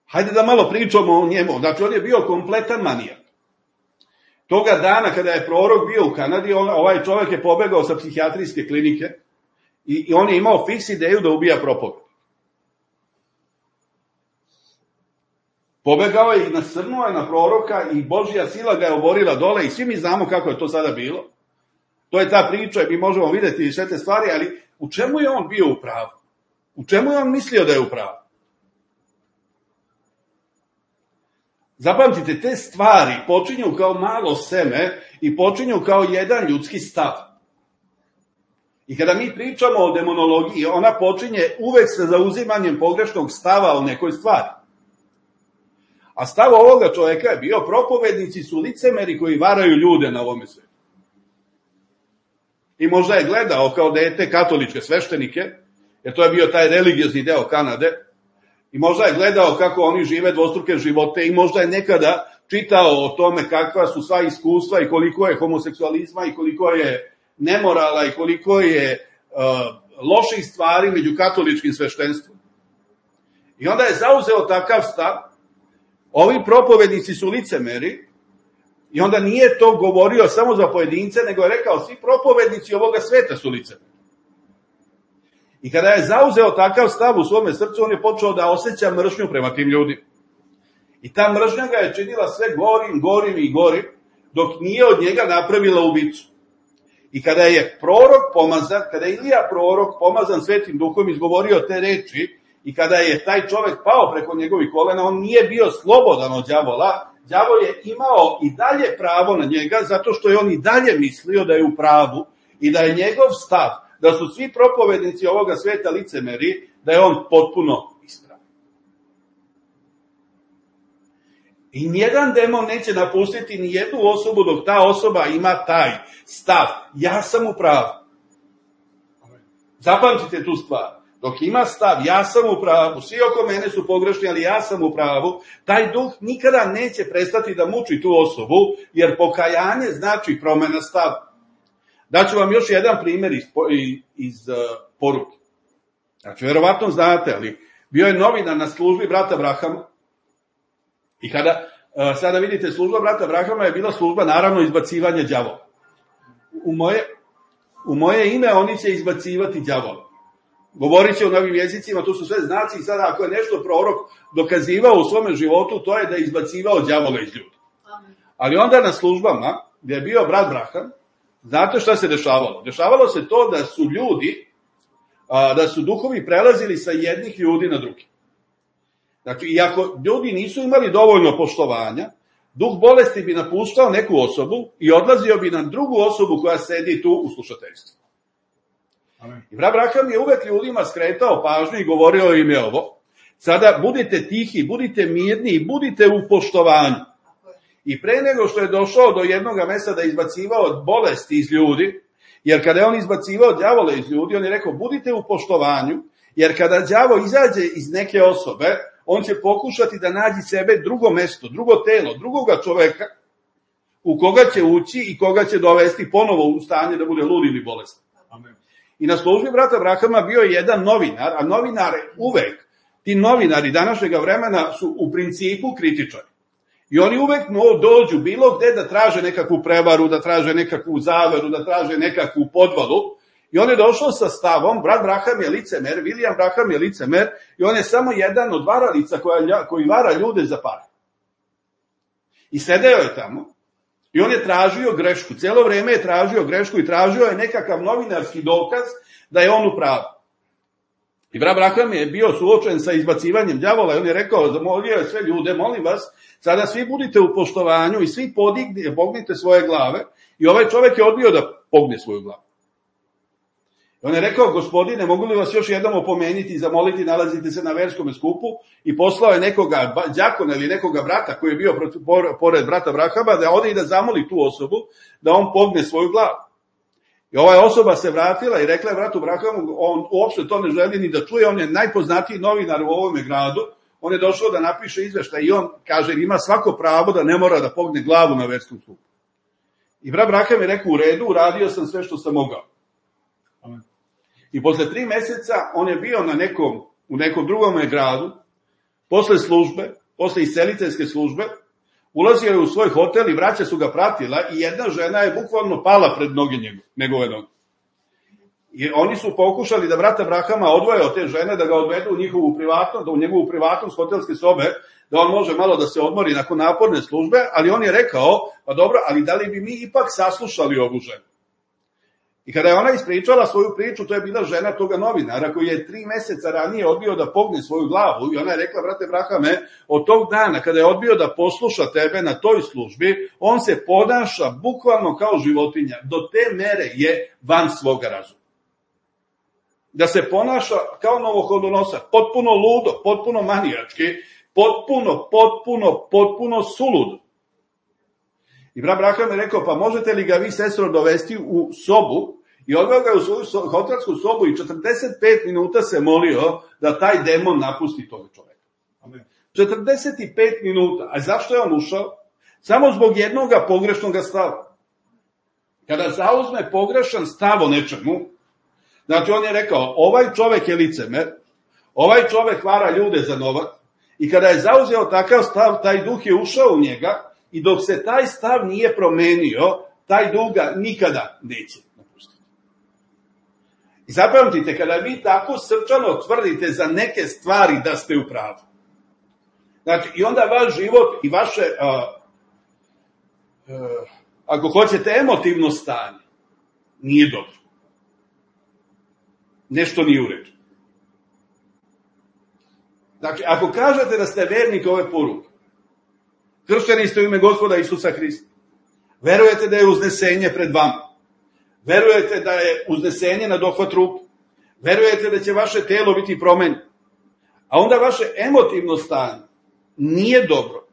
hajde da malo pričamo o njemu. Znači, on je bio kompletan manijak. Toga dana kada je prorok bio u Kanadi, ovaj čovjek je pobegao sa psihijatrijske klinike i on je imao fiks ideju da ubija propovednika. Pobegao je i nasrnuo je na proroka i Božja sila ga je oborila dole i svi mi znamo kako je to sada bilo. To je ta priča i mi možemo vidjeti sve te stvari, ali u čemu je on bio u pravu? U čemu je on mislio da je u pravu? Zapamtite, te stvari počinju kao malo seme i počinju kao jedan ljudski stav. I kada mi pričamo o demonologiji, ona počinje uvek sa zauzimanjem pogrešnog stava o nekoj stvari. A stav ovoga čoveka je bio: propovednici su licemeri koji varaju ljude na ovome svetu. I možda je gledao kao dete katoličke sveštenike, jer to je bio taj religiozni deo Kanade, i možda je gledao kako oni žive dvostruke živote i možda je nekada čitao o tome kakva su sva iskustva i koliko je homoseksualizma i koliko je nemorala i koliko je loših stvari među katoličkim sveštenstvom. I onda je zauzeo takav stav: ovi propovednici su licemeri, i onda nije to govorio samo za pojedince, nego je rekao: svi propovednici ovoga sveta su licemeri. I kada je zauzeo takav stav u svome srcu, on je počeo da osjeća mržnju prema tim ljudima. I ta mržnja ga je činila sve gorim, dok nije od njega napravila ubicu. I kada je prorok pomazan, kada je Ilija prorok pomazan Svetim Duhom izgovorio te reči, i kada je taj čovek pao preko njegovih kolena, on nije bio slobodan od đavola. Đavo je imao i dalje pravo na njega, zato što je on i dalje mislio da je u pravu i da je njegov stav, da su svi propovednici ovoga sveta licemeri, da je on potpuno ispravan. I nijedan demon neće napustiti ni jednu osobu dok ta osoba ima taj stav: ja sam u pravu. Zapamtite tu stvar. Dok ima stav: ja sam u pravu, svi oko mene su pogrešni, ali ja sam u pravu, taj duh nikada neće prestati da muči tu osobu, jer pokajanje znači promena stava. Daću vam još jedan primjer iz poruke. Znači, verovatno znate, ali bio je novinar na službi brata Brahama, i kada sada vidite, služba brata Brahama je bila služba, naravno, izbacivanja đavola. U moje ime oni će izbacivati đavola. Govorit će u novim jezicima, to su sve znaci, i sada ako je nešto prorok dokazivao u svome životu, to je da je izbacivao đavola iz ljudi. Ali onda na službama, gdje je bio brat Braham, znate šta se dešavalo? Dešavalo se to da su ljudi, da su duhovi prelazili sa jednih ljudi na drugi. Znači, i ako ljudi nisu imali dovoljno poštovanja, duh bolesti bi napuštao neku osobu i odlazio bi na drugu osobu koja sedi tu u slušateljstvu. I brat Braham je uvek ljudima skretao pažnju i govorio im je ovo: sada budite tihi, budite mirni i budite u poštovanju. I pre nego što je došao do jednog mesta da je izbacivao bolesti iz ljudi, jer kada je on izbacivao đavole iz ljudi, on je rekao: budite u poštovanju, jer kada đavo izađe iz neke osobe, on će pokušati da nađi sebe drugo mesto, drugo telo, drugoga čoveka, u koga će ući i koga će dovesti ponovo u stanje da bude lud ili bolestan. Amen. I na službi brata Brahama bio je jedan novinar, a novinare uvek, ti novinari današnjeg vremena su u principu kritičari. I oni uvek dođu bilo gde da traže nekakvu prevaru, da traže nekakvu zaveru, da traže nekakvu podvalu. I on je došao sa stavom: brat Braham je licemer, William Braham je licemer, i on je samo jedan od varalica koji vara ljude za pare. I sedeo je tamo i on je tražio grešku, celo vreme je tražio grešku i tražio je nekakav novinarski dokaz da je on u pravu. I brat Braham je bio suočen sa izbacivanjem đavola i on je rekao, zamolio je sve ljude: molim vas, sada svi budite u poštovanju i svi pognite svoje glave. I ovaj čovek je odbio da pogne svoju glavu. I on je rekao: gospodine, mogu li vas još jednom opomenuti i zamoliti, nalazite se na verskom skupu, i poslao je nekoga đakona ili nekoga brata koji je bio pored brata Brahama da ode i da zamoli tu osobu da on pogne svoju glavu. I ova osoba se vratila i rekla je bratu Brahamu, on uopšte to ne želi ni da čuje, on je najpoznatiji novinar u ovome gradu, on je došao da napiše izveštaj i on kaže: ima svako pravo da ne mora da pogne glavu na verskom skupu. I brat Braham je rekao: u redu, uradio sam sve što sam mogao. Amen. I posle 3 meseca on je bio u nekom drugom gradu, posle službe, posle isceliteljske službe, ulazio je u svoj hotel i braća su ga pratila i jedna žena je bukvalno pala pred noge njegove noge. I oni su pokušali da brata Brahama odvoje od te žene, da ga odvedu u njegovu privatnost hotelske sobe, da on može malo da se odmori nakon naporne službe, ali on je rekao: pa dobro, ali da li bi mi ipak saslušali ovu ženu? I kada je ona ispričala svoju priču, to je bila žena toga novinara koji je 3 meseca ranije odbio da pogne svoju glavu, i ona je rekla: brate Brahame, od tog dana kada je odbio da posluša tebe na toj službi, on se ponaša bukvalno kao životinja, do te mere je van svoga razuma. da se ponaša kao novohodonosac, potpuno ludo, potpuno manijački, potpuno suludo. I brat Braham je rekao, pa možete li ga vi, sestro, dovesti u sobu, i odveo ga u svoju hotelsku sobu i 45 minuta se molio da taj demon napusti tog čoveka. Amen. 45 minuta. A zašto je on ušao? Samo zbog jednog pogrešnog stava. Kada zauzme pogrešan stav o nečemu, znači on je rekao, ovaj čovek je licemer, ovaj čovek vara ljude za novac, i kada je zauzeo takav stav, taj duh je ušao u njega, i dok se taj stav nije promenio, taj duh ga nikada neće napustiti. I zapamtite, kada vi tako srčano tvrdite za neke stvari da ste u pravu, znači, i onda vaš život i vaše, ako hoćete, emotivno stanje, nije dobro. Nešto nije u redu. Znači, ako kažete da ste vernik ove poruke, kršteni ste u ime Gospoda Isusa Hrista, verujete da je uznesenje pred vama, verujete da je uznesenje na dohvat ruke, verujete da će vaše telo biti promenjeno, a onda vaše emotivno stanje nije dobro.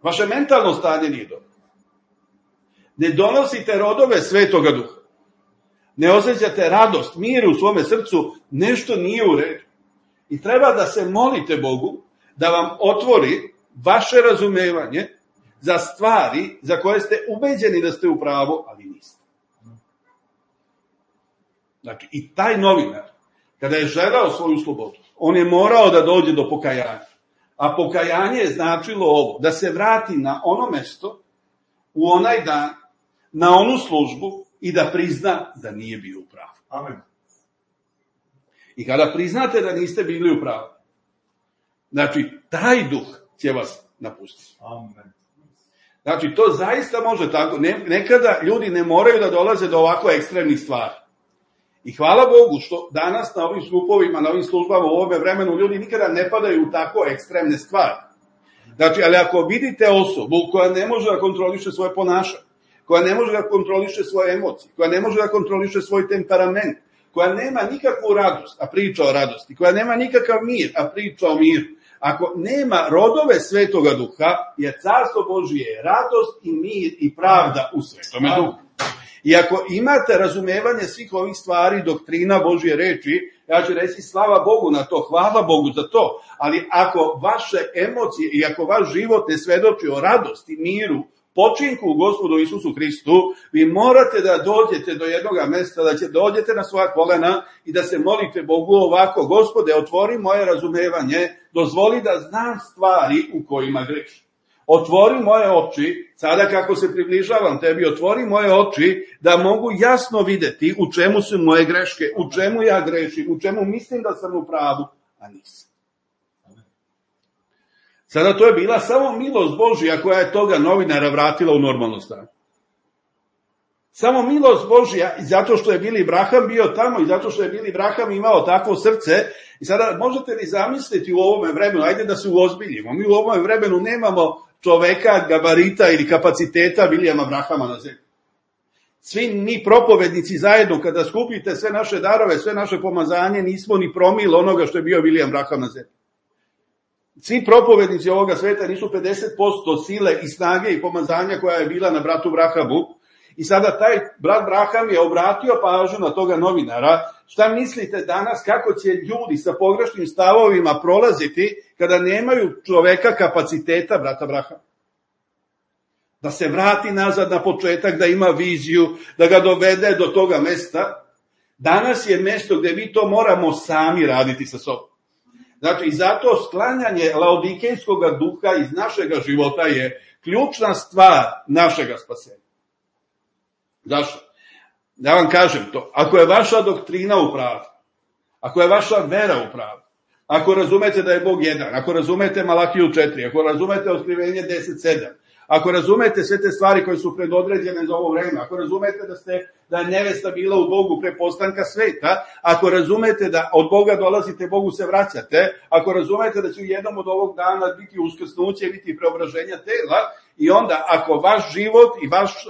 Vaše mentalno stanje nije dobro. Ne donosite rodove Svetoga Duha. Ne osjećate radost, mir u svome srcu, nešto nije u redu. I treba da se molite Bogu da vam otvori vaše razumevanje za stvari za koje ste ubeđeni da ste u pravu, ali niste. Znači, i taj novinar, kada je želeo svoju slobodu, on je morao da dođe do pokajanja. A pokajanje je značilo ovo, da se vrati na ono mesto, u onaj dan, na onu službu i da prizna da nije bio u pravu. Amen. I kada priznate da niste bili u pravu, znači, taj duh će vas napustiti. Amen. Znači, to zaista može tako. Nekada ljudi ne moraju da dolaze do ovako ekstremnih stvari. I hvala Bogu što danas na ovim skupovima, na ovim službama u ovome vremenu ljudi nikada ne padaju u tako ekstremne stvari. Znači, ali ako vidite osobu koja ne može da kontroliše svoje ponašanje, koja ne može da kontroliše svoje emocije, koja ne može da kontroliše svoj temperament, koja nema nikakvu radost, a priča o radosti, koja nema nikakav mir, a priča o miru, ako nema rodove Svetoga Duha, jer Carstvo Božije je radost i mir i pravda u Svetome Duhu. I ako imate razumevanje svih ovih stvari, doktrina Božje reči, ja ću reći slava Bogu na to, hvala Bogu za to, ali ako vaše emocije i ako vaš život ne svedoči o radosti, miru, počinku u Gospodu Isusu Hristu, vi morate da dođete do jednog mesta, da će dođete na svoja kolena i da se molite Bogu ovako, Gospode, otvori moje razumevanje, dozvoli da znam stvari u kojima grešim. Otvori moje oči, sada kako se približavam tebi, otvori moje oči da mogu jasno videti u čemu su moje greške, u čemu ja grešim, u čemu mislim da sam u pravu, a nisam. Sada to je bila samo milost Božja koja je toga novinara vratila u normalno stanje. Samo milost Božja, i zato što je Billy Graham bio tamo, i zato što je Billy Graham imao takvo srce. I sada možete li zamisliti u ovome vremenu, ajde da se uozbiljimo, mi u ovome vremenu nemamo čoveka, gabarita ili kapaciteta Williama Grahama na zemlji. Svi mi propovednici zajedno, kada skupite sve naše darove, sve naše pomazanje, nismo ni promil onoga što je bio William Graham na zemlji. Svi propovednici ovoga sveta nisu 50% sile i snage i pomazanja koja je bila na bratu Brahamu. I sada taj brat Braham je obratio pažnju na toga novinara. Šta mislite danas kako će ljudi sa pogrešnim stavovima prolaziti kada nemaju čoveka kapaciteta brata Brahama? Da se vrati nazad na početak, da ima viziju, da ga dovede do toga mesta. Danas je mesto gde mi to moramo sami raditi sa sobom. Znači, i zato sklanjanje laodikejskog duha iz našega života je ključna stvar našega spasenja. Zašto? Da vam kažem to, ako je vaša doktrina u pravu, ako je vaša vera u pravu, ako razumete da je Bog jedan, ako razumete Malahiju 4, ako razumete Otkrivenje 10.7, ako razumete sve te stvari koje su predodređene za ovo vreme, ako razumete da je nevesta bila u Bogu pre postanka sveta, ako razumete da od Boga dolazite, Bogu se vraćate, ako razumete da će u jednom od ovog dana biti uskrsnuće, biti preobraženja tela, i onda ako vaš život i vaš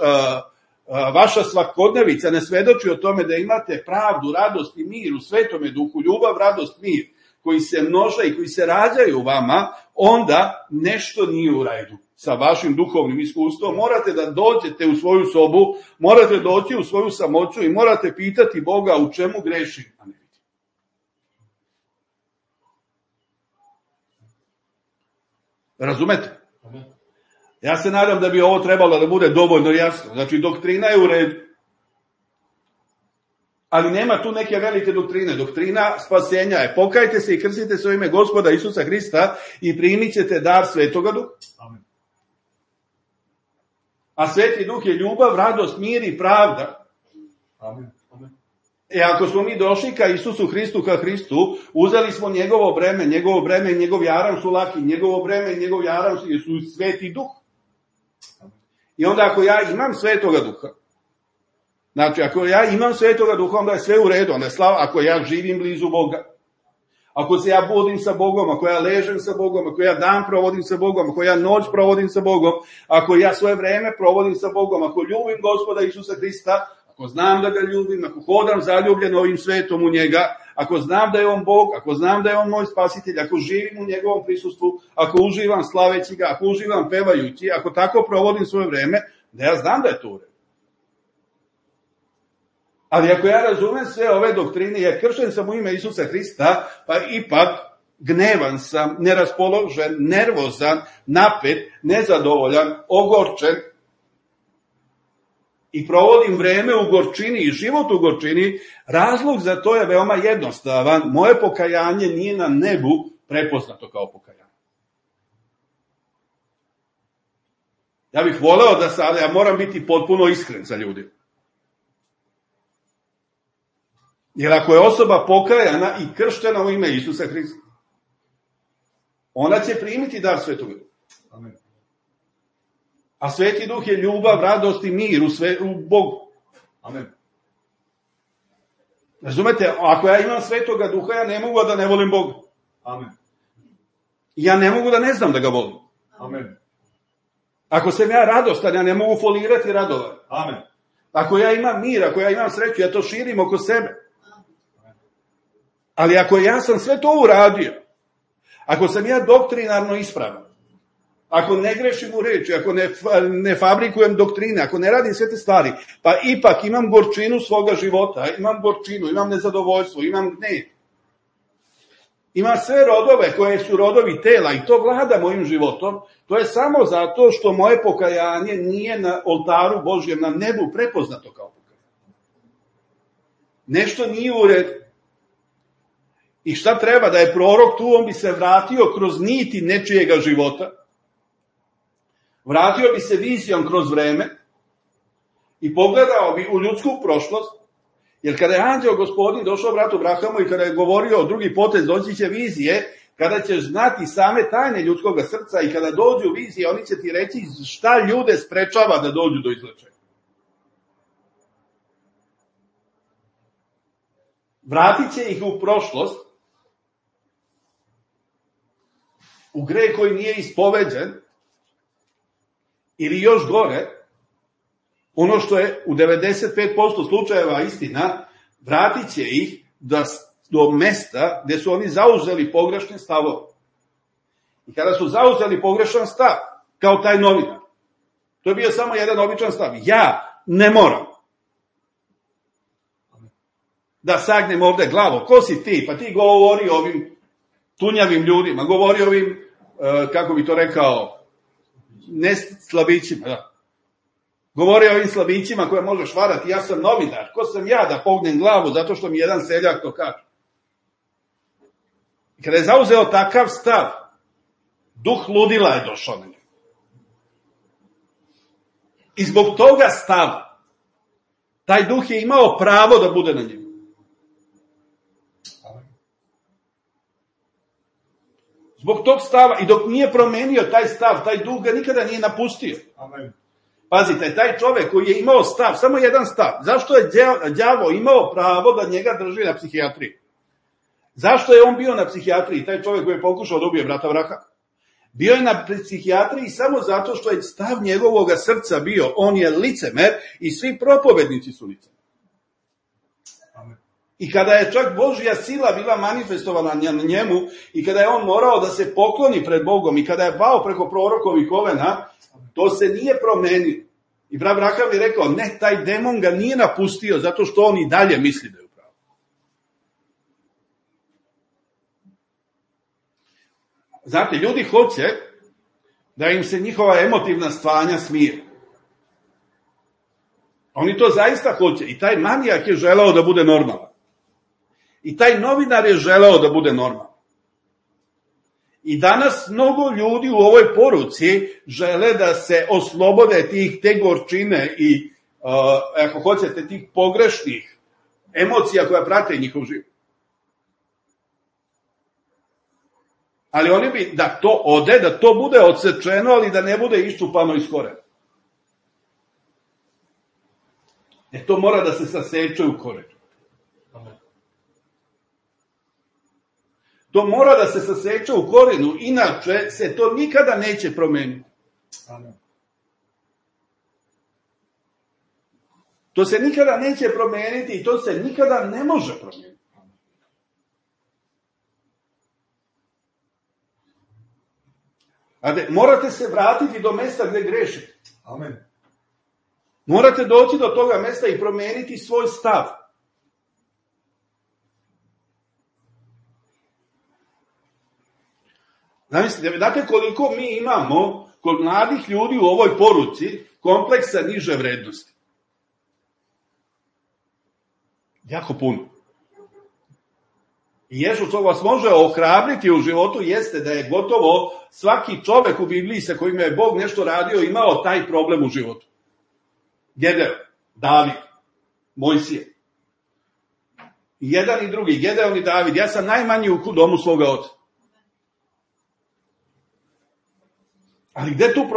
vaša svakodnevica ne svedoči o tome da imate pravdu, radost i mir u Svetome Duhu, ljubav, radost, mir, koji se množe i koji se rađaju u vama, onda nešto nije u redu sa vašim duhovnim iskustvom. Morate da dođete u svoju sobu, morate doći u svoju samoću i morate pitati Boga u čemu grešim, a ne vidim. Razumete? Ja se nadam da bi ovo trebalo da bude dovoljno jasno. Znači, doktrina je u redu. Ali nema tu neke velike doktrine. Doktrina spasenja je: pokajte se i krstite se u ime Gospoda Isusa Hrista i primit ćete dar Svetoga Duha. Amen. A Sveti Duh je ljubav, radost, mir i pravda. Amen. Amen. Ako smo mi došli ka Isusu Hristu, ka Hristu, uzeli smo njegovo breme, njegov jaram su laki, njegovo breme i njegov jaram su Sveti Duh. I onda ako ja imam Svetoga Duha, znači ako ja imam Svetoga Duha, onda je sve u redu, onda je slava, ako ja živim blizu Boga, ako se ja budim sa Bogom, ako ja ležem sa Bogom, ako ja dan provodim sa Bogom, ako ja noć provodim sa Bogom, ako ja svoje vreme provodim sa Bogom, ako ljubim Gospoda Isusa Hrista, ako znam da ga ljubim, ako hodam zaljubljen ovim svetom u njega, ako znam da je on Bog, ako znam da je on moj spasitelj, ako živim u njegovom prisustvu, ako uživam slaveći ga, ako uživam pevajući, ako tako provodim svoje vreme, da ja znam da je to u redu. Ali ako ja razumem sve ove doktrine, ja kršten sam u ime Isusa Hrista, pa ipak gnevan sam, neraspoložen, nervozan, napet, nezadovoljan, ogorčen, i provodim vreme u gorčini i život u gorčini, razlog za to je veoma jednostavan. Moje pokajanje nije na nebu prepoznato kao pokajanje. Ja bih voleo da sada, ja moram biti potpuno iskren sa ljudima. Jer ako je osoba pokajana i krštena u ime Isusa Hrista, ona će primiti dar Svetog Duha. Amen. A Sveti Duh je ljubav, radost i mir u Bogu. Amen. Razumete, ako ja imam Svetoga Duha, ja ne mogu da ne volim Boga. Amen. Ja ne mogu da ne znam da ga volim. Amen. Ako sam ja radostan, ja ne mogu folirati radovan. Amen. Ako ja imam mir, ako ja imam sreću, ja to širim oko sebe. Ali ako ja sam sve to uradio, ako sam ja doktrinarno ispravan, ako ne grešim u reči, ako ne fabrikujem doktrine, ako ne radim sve te stvari, pa ipak imam gorčinu svoga života, imam gorčinu, imam nezadovoljstvo, imam gnev. Imam sve rodove koje su rodovi tela i to vlada mojim životom, to je samo zato što moje pokajanje nije na oltaru Božjem, na nebu prepoznato kao pokajanje. Nešto nije u redu. I šta treba? Da je prorok tu, on bi se vratio kroz niti nečijega života, vratio bi se vizijom kroz vreme i pogledao bi u ljudsku prošlost, jer kada je anđeo Gospodin došao bratu Abrahamu i kada je govorio drugi potez, doći će vizije, kada ćeš znati same tajne ljudskog srca i kada dođu vizije, oni će ti reći šta ljude sprečava da dođu do izlečenja. Vratit će ih u prošlost, u greh koji nije ispoveđen, ili još gore, ono što je u 95% slučajeva istina, vratit će ih do mesta gde su oni zauzeli pogrešne stavove. I kada su zauzeli pogrešan stav, kao taj novinar, to je bio samo jedan običan stav. Ja ne moram da sagnem ovde glavo. Ko si ti? Pa ti govori ovim tunjavim ljudima, govori ovim, kako bi to rekao, ne slabićima, da. Govori o ovim slabićima koje možeš varati, ja sam novinar, ko sam ja da pognem glavu zato što mi jedan seljak to kaže. I kada je zauzeo takav stav, duh ludila je došao na njega. I zbog toga stava, taj duh je imao pravo da bude na njemu. Zbog tog stava, i dok nije promenio taj stav, taj duh ga nikada nije napustio. Amen. Pazite, taj čovek koji je imao stav, samo jedan stav, zašto je đavo imao pravo da njega drži na psihijatriji? Zašto je on bio na psihijatriji, taj čovek koji je pokušao da ubije brata Abrahama? Bio je na psihijatriji samo zato što je stav njegovog srca bio, on je licemer i svi propovednici su licemer. I kada je čak Božja sila bila manifestovana na njemu i kada je on morao da se pokloni pred Bogom i kada je pao preko prorokovih kolena, to se nije promenilo. I brat Branham je rekao, ne, taj demon ga nije napustio zato što on i dalje misli da je upravo. Znate, ljudi hoće da im se njihova emotivna stanja smije. Oni to zaista hoće. I taj manijak je želeo da bude normalan. I taj novinar je želeo da bude normalan. I danas mnogo ljudi u ovoj poruci žele da se oslobode te gorčine i, ako hoćete, tih pogrešnih emocija koja prate njihov život. Ali oni bi da to ode, da to bude odsečeno, ali da ne bude iščupano iz korena. To mora da se saseče u korenu. To mora da se saseče u korenu, inače se to nikada neće promeniti. To se nikada neće promeniti i to se nikada ne može promeniti. Morate se vratiti do mesta gde grešite. Amen. Morate doći do toga mesta i promeniti svoj stav. Znate koliko mi imamo kod mladih ljudi u ovoj poruci kompleksa niže vrednosti? Jako puno. I što vas može ohrabriti u životu jeste da je gotovo svaki čovek u Bibliji sa kojim je Bog nešto radio imao taj problem u životu. Gedeon, David, Mojsije. I jedan i drugi, Gedeon i David. Ja sam najmanji u domu svoga oca. Ali gde tu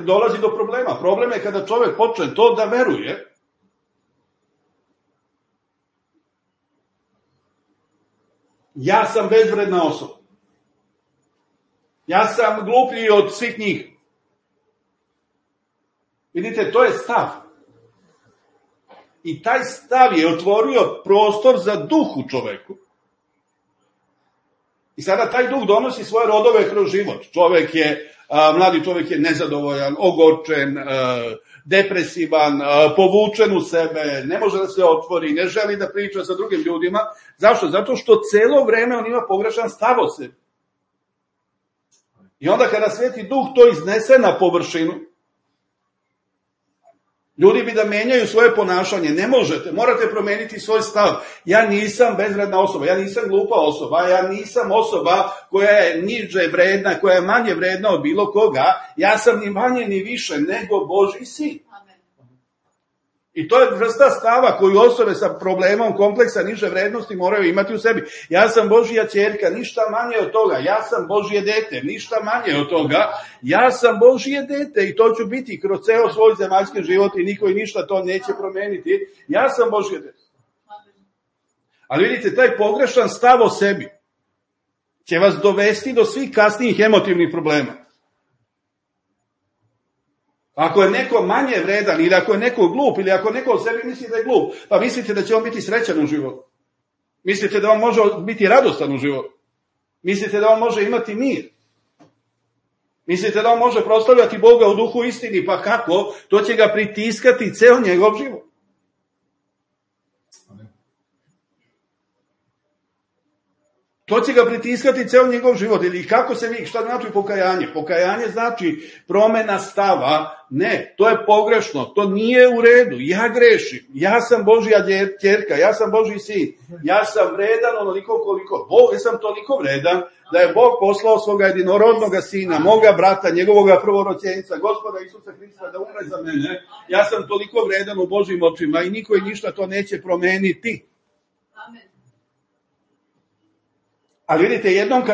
dolazi do problema? Problem je kada čovek počne to da veruje. Ja sam bezvredna osoba. Ja sam gluplji od svih njih. Vidite, to je stav. I taj stav je otvorio prostor za duh u čoveku. I sada taj duh donosi svoje rodove kroz život. Mladi čovek je nezadovoljan, ogorčen, depresivan, povučen u sebe, ne može da se otvori, ne želi da priča sa drugim ljudima. Zašto? Zato što celo vreme on ima pogrešan stav o sebi. I onda kada Sveti Duh to iznese na površinu, ljudi bi da menjaju svoje ponašanje. Ne možete, morate promeniti svoj stav. Ja nisam bezvredna osoba, ja nisam glupa osoba, ja nisam osoba koja je niže vredna, koja je manje vredna od bilo koga. Ja sam ni manje ni više nego Božji sin. I to je vrsta stava koju osobe sa problemom kompleksa niže vrednosti moraju imati u sebi. Ja sam Božja ćerka, ništa manje od toga. Ja sam Božje dete, ništa manje od toga. Ja sam Božje dete i to ću biti kroz ceo svoj zemaljski život i niko i ništa to neće promeniti. Ja sam Božje dete. Ali vidite, taj pogrešan stav o sebi će vas dovesti do svih kasnijih emotivnih problema. Ako je neko manje vredan ili ako je neko glup ili ako neko o sebi misli da je glup, pa mislite da će on biti srećan u životu. Mislite da on može biti radostan u životu. Mislite da on može imati mir. Mislite da on može proslavljati Boga u duhu istini, pa kako? To će ga pritiskati ceo njegov život. To će ga pritiskati ceo njegov život. Ili kako se vi, šta znači pokajanje? Pokajanje znači promena stava. Ne, to je pogrešno, to nije u redu. Ja grešim, ja sam Božja ćerka, ja sam Božji sin, ja sam vredan onoliko koliko. Ja sam toliko vredan da je Bog poslao svoga jedinorodnog sina, moga brata, njegovoga prvorođenca, Gospoda Isusa Hrista da umre za mene. Ja sam toliko vredan u Božjim očima i niko i ništa to neće promeniti. Ali vidite, jednom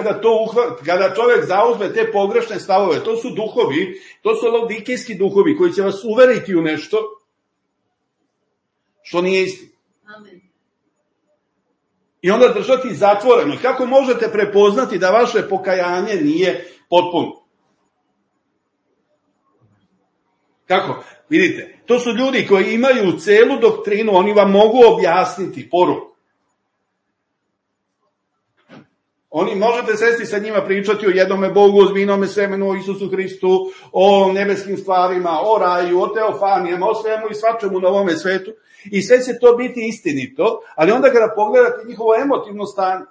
kada čovjek zauzme te pogrešne stavove, to su duhovi, to su laodikejski duhovi koji će vas uveriti u nešto što nije istina. I onda držati zatvoreno. Kako možete prepoznati da vaše pokajanje nije potpuno? Kako? Vidite, to su ljudi koji imaju celu doktrinu, oni vam mogu objasniti poruku. Oni možete sesti sa njima pričati o jednome Bogu, o zmijenome semenu, o Isusu Hristu, o nebeskim stvarima, o raju, o teofanijama, o svemu i svačemu na ovome svetu. I sve će to biti istinito, ali onda kada pogledate njihovo emotivno stanje,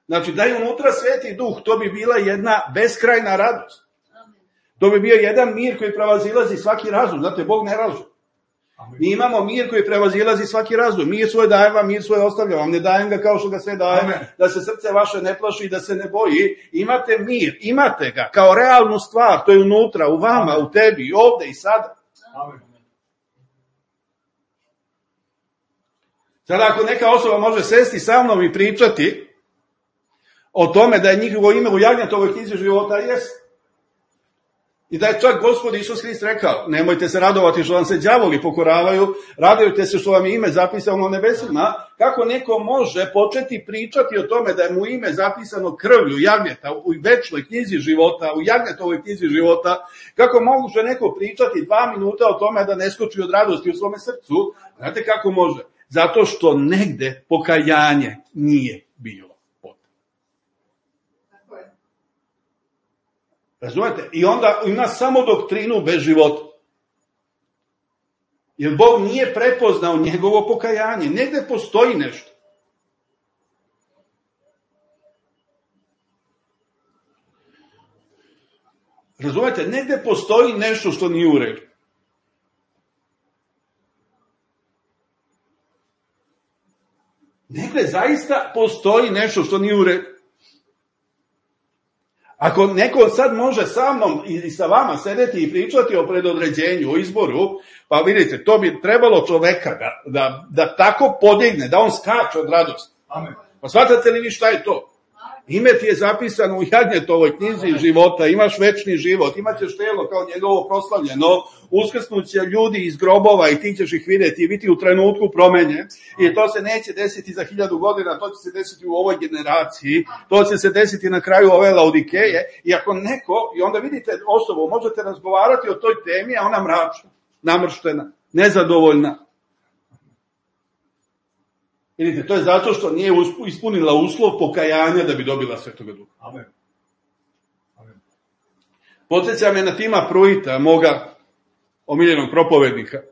znači da je unutra Sveti Duh, to bi bila jedna beskrajna radost. To bi bio jedan mir koji prevazilazi svaki razum. Znate, Bog ne laže. Mi imamo mir koji prevazilazi svaki razum. Mir svoj dajem vam, mir svoj ostavljam vam. Ne dajem ga kao što ga sve dajem, da se srce vaše ne plaši i da se ne boji. Imate mir, imate ga kao realnu stvar. To je unutra, u vama, u tebi, ovde i sada. Sada ako neka osoba može sesti sa mnom i pričati o tome da je njihovo ime u Jagnjetovoj knjizi života, jest. I da je čak Gospod Isus Hrist rekao, nemojte se radovati što vam se đavoli pokoravaju, radujte se što vam je ime zapisano u nebesima. Kako neko može početi pričati o tome da je mu ime zapisano krvlju jagnjeta u večnoj knjizi života, u Jagnjetovoj knjizi života, kako može neko pričati 2 minuta o tome da ne skoči od radosti u svome srcu? Znate kako može? Zato što negde pokajanje nije bilo. Razumete? I onda ima samo doktrinu bez života. Jer Bog nije prepoznao njegovo pokajanje. Negde postoji nešto. Razumete? Negde postoji nešto što nije u redu. Negde zaista postoji nešto što nije u redu. Ako neko sad može sa mnom i sa vama sedeti i pričati o predodređenju, o izboru, pa vidite, to bi trebalo čoveka da tako podigne, da on skače od radosti. Amen. Pa shvatate li vi šta je to? Ime ti je zapisano u Jagnjetovoj knjizi života, imaš večni život, imaćeš telo kao njegovo proslavljeno, uskrsnuće ljudi iz grobova i ti ćeš ih vidjeti i biti u trenutku promenje. I to se neće desiti za 1000 godina, to će se desiti u ovoj generaciji, to će se desiti na kraju ove Laodikeje. I ako neko, i onda vidite osobu, možete razgovarati o toj temi, a ona mračna, namrštena, nezadovoljna. Vidite, to je zato što nije ispunila uslov pokajanja da bi dobila Svetoga Duha. Amen. Amen. Podsjeća me na Tima Pruita, moga omiljenog propovednika.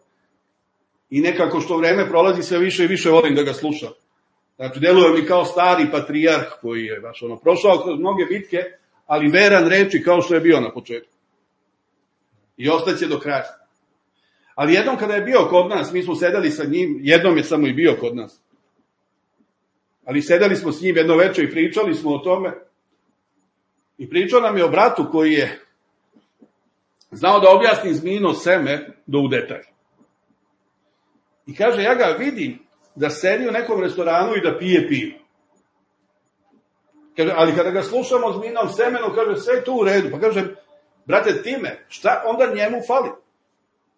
I nekako što vreme prolazi sve više i više volim da ga slušam. Znači, deluje mi kao stari patrijarh koji je baš prošao kroz mnoge bitke, ali veran reči kao što je bio na početku. I ostaće do kraja. Ali jednom kada je bio kod nas, mi smo sedeli sa njim, jednom je samo i bio kod nas. Ali sedeli smo s njim jedno večer i pričali smo o tome. I pričao nam je o bratu koji je znao da objasni zmijino seme do u detalj. I kaže, ja ga vidim da sedi u nekom restoranu i da pije pivo. Kaže, ali kada ga slušamo o zmijinom semenu, kaže, sve je to u redu. Pa kaže, brate Time, šta onda njemu fali?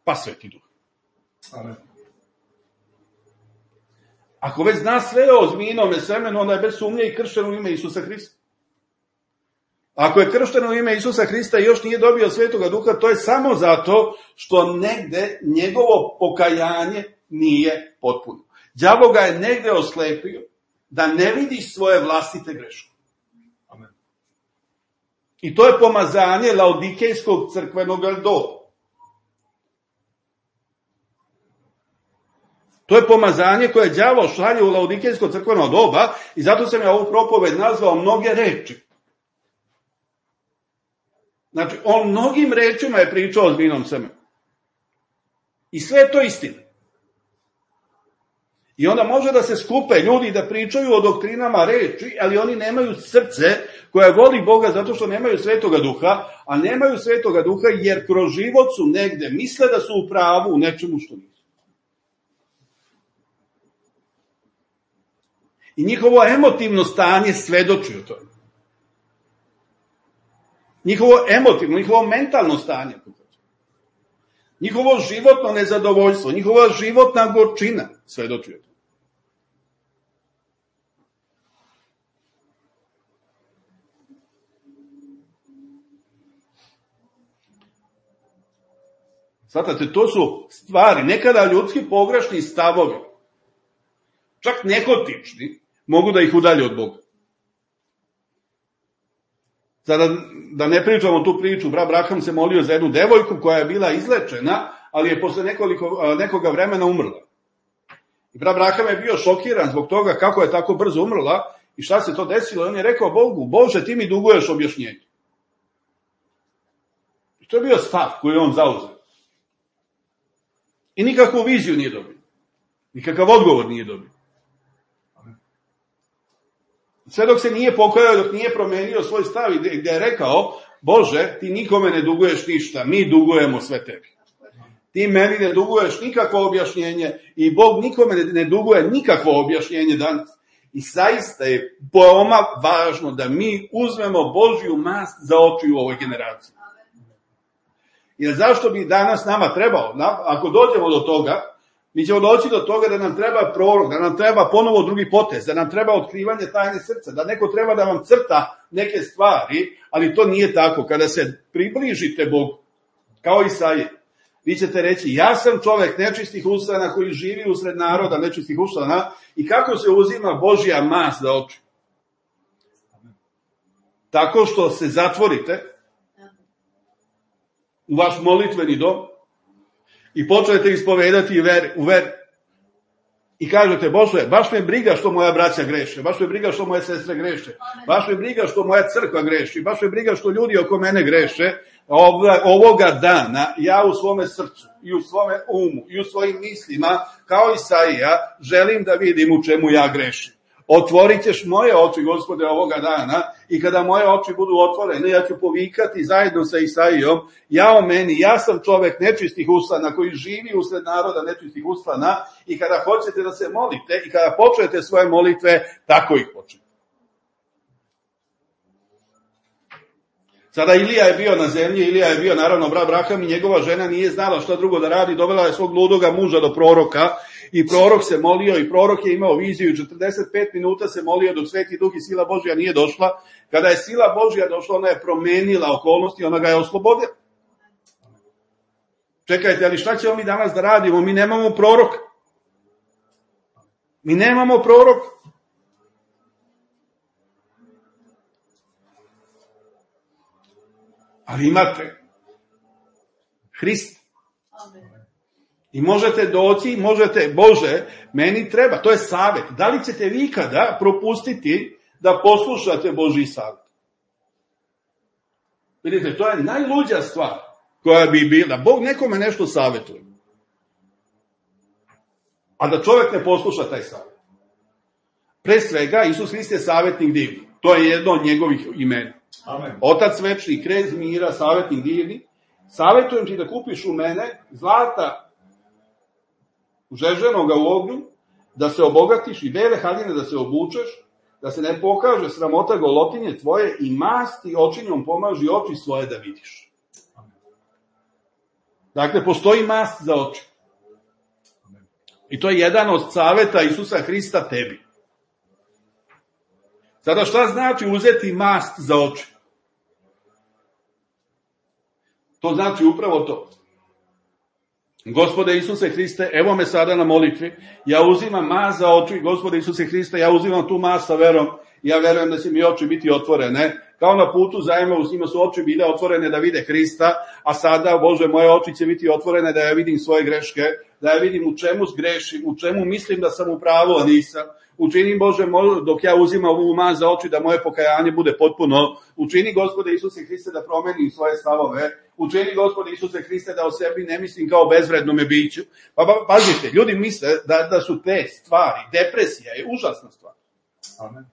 Pa Sveti Duh. Amen. Ako već zna sve o zmijinome semenu, onda je bez sumnje i kršten u ime Isusa Hrista. Ako je kršten u ime Isusa Hrista i još nije dobio Svetoga Duha, to je samo zato što negde njegovo pokajanje nije potpuno. Đavo ga je negde oslepio da ne vidi svoje vlastite greške. Amen. I to je pomazanje Laodikejskog crkvenog doba. To je pomazanje koje đavo šalje u Laodikejsko crkveno doba i zato sam ja ovu propoved nazvao mnoge reči. Znači, on mnogim rečima je pričao o zmijnom semenu. I sve je to istina. I onda može da se skupe ljudi da pričaju o doktrinama reči, ali oni nemaju srce koje voli Boga zato što nemaju Svetoga Duha, a nemaju Svetoga Duha jer kroz život su negde, misle da su u pravu u nečemu što nisu. I njihovo emotivno stanje svedoči o tome. Njihovo emotivno, njihovo mentalno stanje. Njihovo životno nezadovoljstvo, njihova životna gorčina svedoči o tome. Svatate, to su stvari, nekada ljudski pogrešni stavovi, čak nehotični, mogu da ih udalje od Boga. Sada, da ne pričamo tu priču, brat Abraham se molio za jednu devojku koja je bila izlečena, ali je posle nekoga vremena umrla. I brat Abraham je bio šokiran zbog toga kako je tako brzo umrla i šta se to desilo. On je rekao Bogu, Bože, ti mi duguješ objašnjenje. I to je bio stav koji on zauzeo. I nikakvu viziju nije dobio. Nikakav odgovor nije dobio. Sve dok se nije pokajao, dok nije promenio svoj stav i gdje je rekao, Bože, ti nikome ne duguješ ništa, mi dugujemo sve tebi. Ti meni ne duguješ nikakvo objašnjenje i Bog nikome ne duguje nikakvo objašnjenje danas. I zaista je veoma važno da mi uzmemo Božju mast za oči u ovoj generaciji. Jer zašto bi danas nama trebalo, ako dođemo do toga, mi ćemo doći do toga da nam treba prorok, da nam treba ponovo drugi potez, da nam treba otkrivanje tajne srca, da neko treba da vam crta neke stvari, ali to nije tako. Kada se približite Bogu, kao Isaija, vi ćete reći, ja sam čovek nečistih ustana koji živi usred naroda nečistih ustana i kako se uzima Božja mast za oči? Tako što se zatvorite u vaš molitveni dom i počnete ispovedati u veri. I kažete, Bože, baš me briga što moja braća greše, baš me briga što moje sestre greše, baš me briga što moja crkva greši, baš me briga što ljudi oko mene greše. Ovoga dana ja u svome srcu i u svome umu i u svojim mislima, kao Isaija, želim da vidim u čemu ja grešim. Otvorit ćeš moje oči, Gospode, ovoga dana i kada moje oči budu otvorene, ja ću povikati zajedno sa Isaijom, jao meni, ja sam čovek nečistih ustana koji živi usred naroda nečistih ustana i kada hoćete da se molite i kada počnete svoje molitve, tako ih počnete. Sada Ilija je bio na zemlji, Ilija je bio naravno brat Abraham i njegova žena nije znala šta drugo da radi, dovela je svog ludoga muža do proroka i prorok se molio i prorok je imao viziju i 45 minuta se molio dok Sveti Duh i sila Božja nije došla. Kada je sila Božja došla, ona je promenila okolnosti, ona ga je oslobodila. Čekajte, ali šta ćemo mi danas da radimo? Mi nemamo proroka. Mi nemamo proroka. Ali imate Hrista. I možete doći, Bože, meni treba, to je savjet. Da li ćete vi ikada propustiti da poslušate Božji savjet? Vidite, to je najluđa stvar koja bi bila. Bog nekome nešto savjetuje. A da čovjek ne posluša taj savjet. Pre svega, Isus Hrist je savjetnik divni. To je jedno od njegovih imena. Amen. Otac večni, krez mira, savjetnik divni. Savjetujem ti da kupiš u mene zlata žeženoga u ognju, da se obogatiš i bele haljine da se obučeš, da se ne pokaže sramota golotinje tvoje i masti očinjom pomaži oči svoje da vidiš. Dakle, postoji mast za oči. I to je jedan od saveta Isusa Hrista tebi. Sada šta znači uzeti mast za oči? To znači upravo to. Gospode Isuse Hriste, evo me sada na molitvi, ja uzimam mast za oči, Gospode Isuse Hriste, ja uzimam tu mast sa verom, ja verujem da će mi oči biti otvorene, kao na putu zajma u njima su oči bile otvorene da vide Hrista, a sada, Bože, moje oči će biti otvorene da ja vidim svoje greške, da ja vidim u čemu zgrešim, u čemu mislim da sam u pravu, a nisam. Učini, Bože, dok ja uzimam ovu mast za oči, da moje pokajanje bude potpuno. Učini, Gospode Isuse Hriste, da promenim svoje stavove. Učini, Gospode Isuse Hriste, da o sebi ne mislim kao bezvrednome biću. Pa pazite, ljudi misle da su te stvari, depresija je užasna stvar. Amen.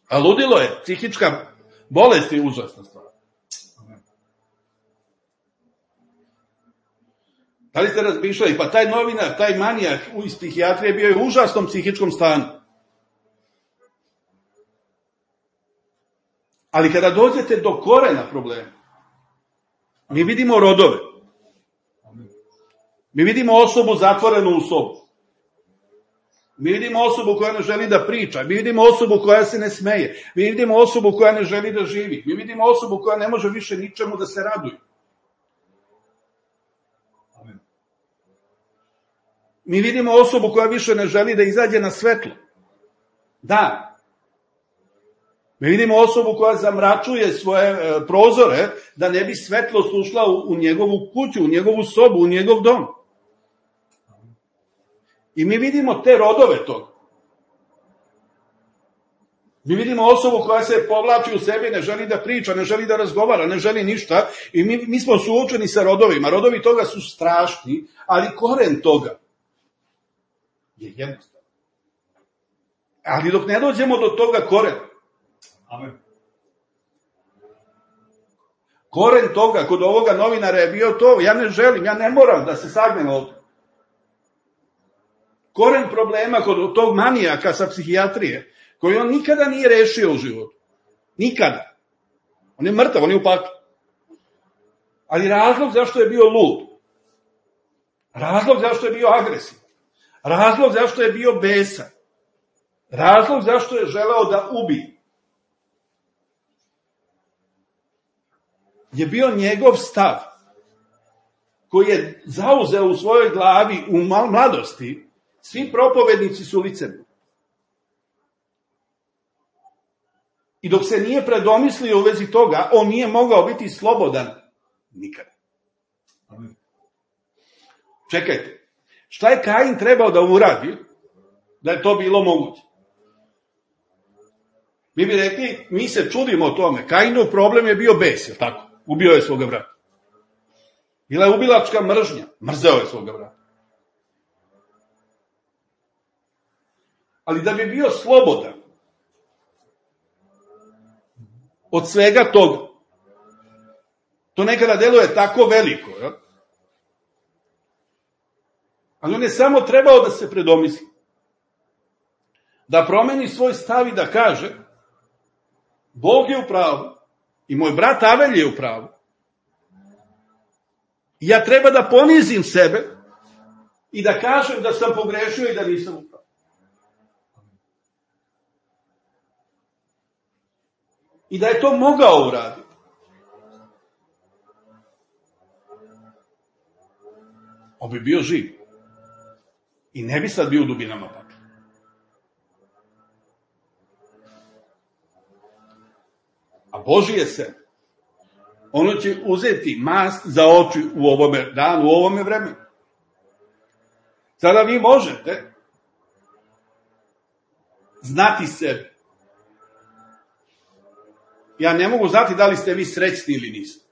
A ludilo je, psihička bolest je užasna stvar. Da li ste razmišljali? Pa taj novinar, taj manijak iz psihijatrije bio je u užasnom psihičkom stanju. Ali kada dođete do korena problema, mi vidimo rodove. Mi vidimo osobu zatvorenu u sobu. Mi vidimo osobu koja ne želi da priča. Mi vidimo osobu koja se ne smeje. Mi vidimo osobu koja ne želi da živi. Mi vidimo osobu koja ne može više ničemu da se raduje. Mi vidimo osobu koja više ne želi da izađe na svetlo. Da. Mi vidimo osobu koja zamračuje svoje prozore da ne bi svetlost ušla u njegovu kuću, u njegovu sobu, u njegov dom. I mi vidimo te rodove toga. Mi vidimo osobu koja se povlači u sebi, ne želi da priča, ne želi da razgovara, ne želi ništa. I mi smo suočeni sa rodovima. Rodovi toga su strašni, ali koren toga je jednostavno. Ali dok ne dođemo do toga korena, Amen. koren toga, kod ovoga novinara je bio to, ja ne želim, ja ne moram da se sagnem ovdje. Koren problema kod tog manijaka sa psihijatrije, koji on nikada nije rešio u životu. Nikada. On je mrtav, on je u paklu. Ali razlog zašto je bio lud, razlog zašto je bio agresivan, razlog zašto je bio besan, razlog zašto je želeo da ubije, je bio njegov stav koji je zauzeo u svojoj glavi u mladosti. Svi propovednici su licemerni. I dok se nije predomislio u vezi toga, on nije mogao biti slobodan nikada. Amen. Čekajte, šta je Kain trebao da uradi da je to bilo moguće? Mi bi rekli, mi se čudimo o tome. Kainov problem je bio bes, je tako? Ubio je svoga brata. Bila je ubilačka mržnja. Mrzeo je svoga brata. Ali da bi bio slobodan od svega toga, to nekada deluje tako veliko, ja? Ali on je samo trebao da se predomisli. Da promeni svoj stav i da kaže, Bog je u pravu i moj brat Avelj je u pravu. Ja treba da ponizim sebe i da kažem da sam pogrešio i da nisam u pravu. I da je to mogao uraditi. On bi bio živ. I ne bi sad bio u dubinama pakla. A Božji je se. Ono će uzeti mast za oči u ovome danu, u ovome vremenu. Sada vi možete znati sebe. Ja ne mogu znati da li ste vi srećni ili niste.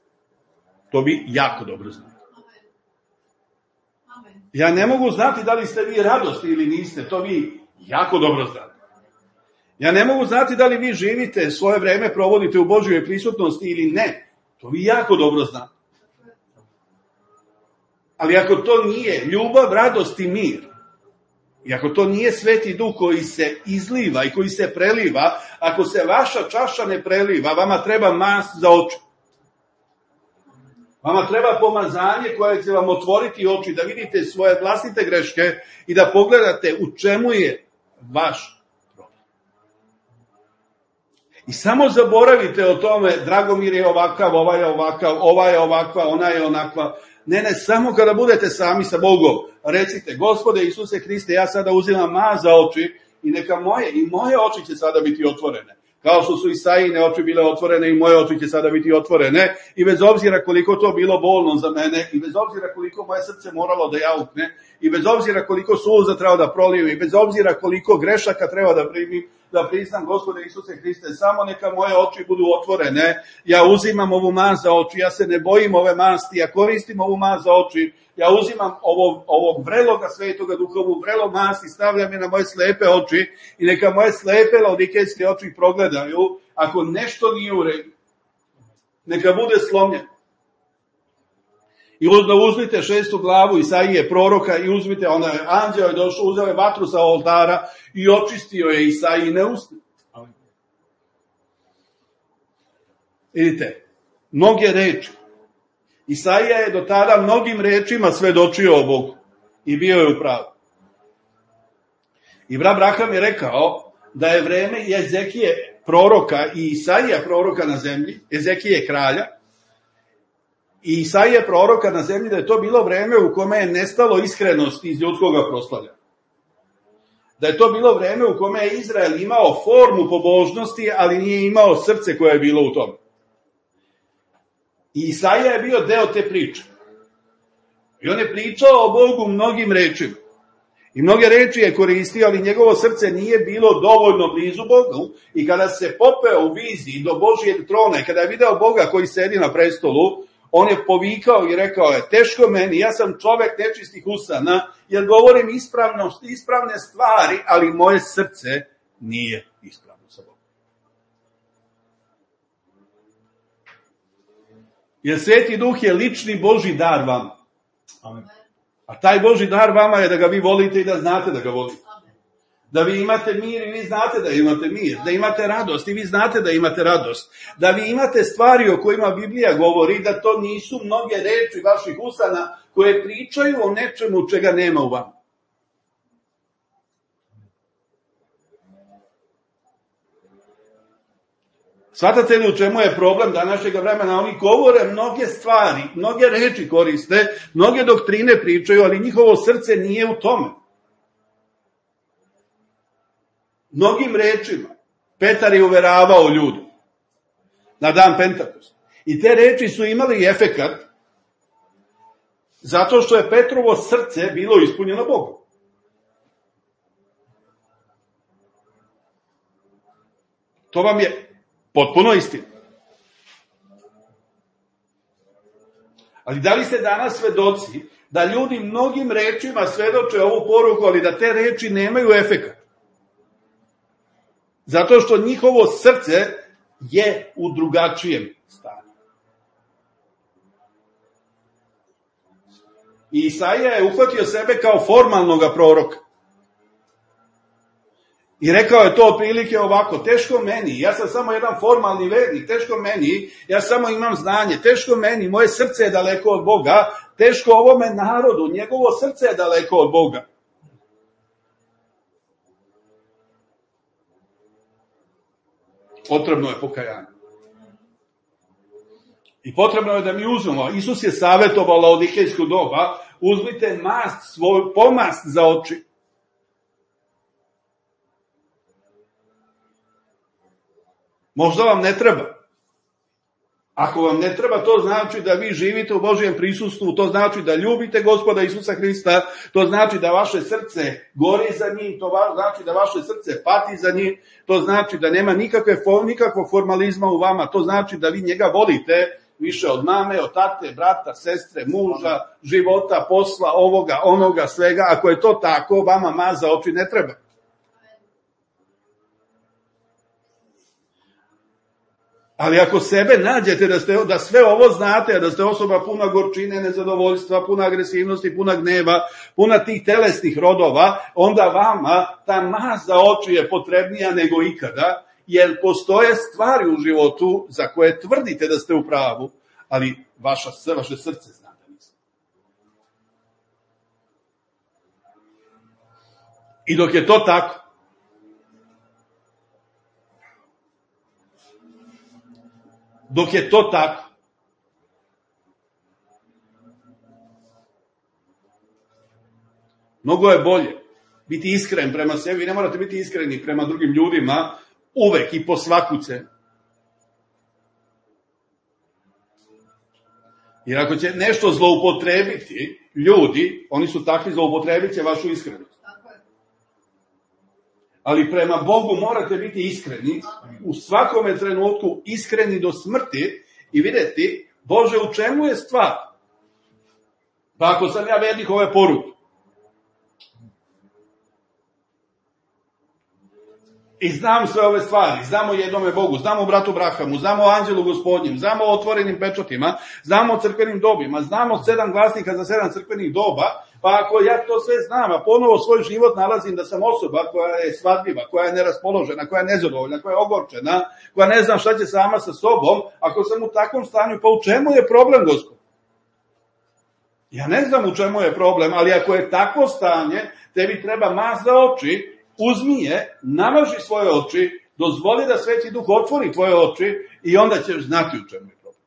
To vi jako dobro znate. Ja ne mogu znati da li ste vi radosni ili niste. To vi jako dobro znate. Ja ne mogu znati da li vi živite, svoje vreme provodite u Božjoj prisutnosti ili ne. To vi jako dobro znate. Ali ako to nije ljubav, radost i mir, i ako to nije Sveti Duh koji se izliva i koji se preliva, ako se vaša čaša ne preliva, vama treba mast za oči. Vama treba pomazanje koje će vam otvoriti oči, da vidite svoje vlastite greške i da pogledate u čemu je vaš problem. I samo zaboravite o tome, Dragomir je ovakav, ovaj je ovakav, ova je ovakva, ona je onakva. Ne, samo kada budete sami sa Bogom, recite, Gospode Isuse Hriste, ja sada uzimam mast za oči i neka moje oči će sada biti otvorene. Kao što su Isaijine oči bile otvorene i moje oči će sada biti otvorene. I bez obzira koliko to bilo bolno za mene, i bez obzira koliko moje srce moralo da jaukne, i bez obzira koliko suza treba da prolijem, i bez obzira koliko grešaka treba da primim, da priznam, Gospode Isuse Hriste, samo neka moje oči budu otvorene. Ja uzimam ovu mast za oči, ja se ne bojim ove masti, ja koristim ovu mast za oči, ja uzimam ovog vreloga Svetoga Duha, ovu vrelo masti, stavljam je na moje slepe oči i neka moje slepe laodikejske oči progledaju. Ako nešto nije u redu, neka bude slomljeno. I uzmite 6. glavu Isaije proroka i uzmite, onda je anđeo je došao, uzeo je vatru sa oltara i očistio je Isaijine usta. Vidite, mnoge reči. Isaija je do tada mnogim rečima svedočio o Bogu i bio je u pravu. I brat Braham je rekao da je vreme Ezekije proroka i Isaija proroka na zemlji, Ezekije kralja, i Isaije proroka na zemlji da je to bilo vreme u kome je nestalo iskrenosti iz ljudskog proslavljanja. Da je to bilo vreme u kome je Izrael imao formu pobožnosti, ali nije imao srce koje je bilo u tome. I Isaija je bio deo te priče. I on je pričao o Bogu mnogim rečima. I mnoge reči je koristio, ali njegovo srce nije bilo dovoljno blizu Bogu. I kada se popeo u viziji do Božijeg trona i kada je video Boga koji sedi na prestolu, on je povikao i rekao je, teško meni, ja sam čovek nečistih usana, jer govorim ispravne stvari, ali moje srce nije ispravno sa Bogom. Jer Sveti Duh je lični Božji dar vama. Amen. A taj Božji dar vama je da ga vi volite i da znate da ga volite. Da vi imate mir i vi znate da imate mir. Da imate radost i vi znate da imate radost. Da vi imate stvari o kojima Biblija govori, da to nisu mnoge reči vaših usana koje pričaju o nečemu čega nema u vama. Svatate li u čemu je problem današnjeg vremena? Oni govore mnoge stvari, mnoge reči koriste, mnoge doktrine pričaju, ali njihovo srce nije u tome. Mnogim rečima Petar je uveravao ljude na dan Pentakosta. I te reči su imali efekat zato što je Petrovo srce bilo ispunjeno Bogom. To vam je potpuno istina. Ali da li ste danas svedoci da ljudi mnogim rečima svedoče ovu poruku, ali da te reči nemaju efekat? Zato što njihovo srce je u drugačijem stanju. I Isaija je uhvatio sebe kao formalnog proroka. I rekao je to otprilike ovako, teško meni, ja sam samo jedan formalni vernik, teško meni, ja samo imam znanje, teško meni, moje srce je daleko od Boga, teško ovome narodu, njegovo srce je daleko od Boga. Potrebno je pokajanje. I potrebno je da mi uzmemo, Isus je savjetovao laodikejsku doba, uzmite mast, svoju pomast za oči. Možda vam ne treba. Ako vam ne treba, to znači da vi živite u Božijem prisustvu, to znači da ljubite Gospoda Isusa Hrista, to znači da vaše srce gori za njim, to znači da vaše srce pati za njim, to znači da nema nikakvog formalizma u vama, to znači da vi njega volite više od mame, od tate, brata, sestre, muža, života, posla, ovoga, onoga, svega. Ako je to tako, vama mast za oči ne treba. Ali ako sebe nađete da sve ovo znate, da ste osoba puna gorčine, nezadovoljstva, puna agresivnosti, puna gneva, puna tih telesnih rodova, onda vama ta mast za oči je potrebnija nego ikada, jer postoje stvari u životu za koje tvrdite da ste u pravu, ali vaše srce zna da niste. I dok je to tako, mnogo je bolje biti iskren prema sebi. Vi ne morate biti iskreni prema drugim ljudima uvek i po svaku cenu. Jer ako će nešto zloupotrebiti ljudi, oni su takvi, zloupotrebit će vašu iskrenost. Ali prema Bogu morate biti iskreni, u svakome trenutku iskreni do smrti i vidjeti, Bože, u čemu je stvar? Pa ako sam ja vernik ove poruke, i znam sve ove stvari, znamo jednome Bogu, znamo o bratu Brahamu, znamo o anđelu gospodnjem, znamo o otvorenim pečatima, znamo o crkvenim dobima, znamo 7 glasnika za 7 crkvenih doba, pa ako ja to sve znam, a ponovo svoj život nalazim da sam osoba koja je svadljiva, koja je neraspoložena, koja je nezadovoljna, koja je ogorčena, koja ne zna šta će sama sa sobom, ako sam u takvom stanju, pa u čemu je problem, Gospod? Ja ne znam u čemu je problem, ali ako je takvo stanje, tebi treba mast za oči, uzmi je, namaži svoje oči, dozvoli da Sveti Duh otvori tvoje oči i onda ćeš znati u čemu je problem.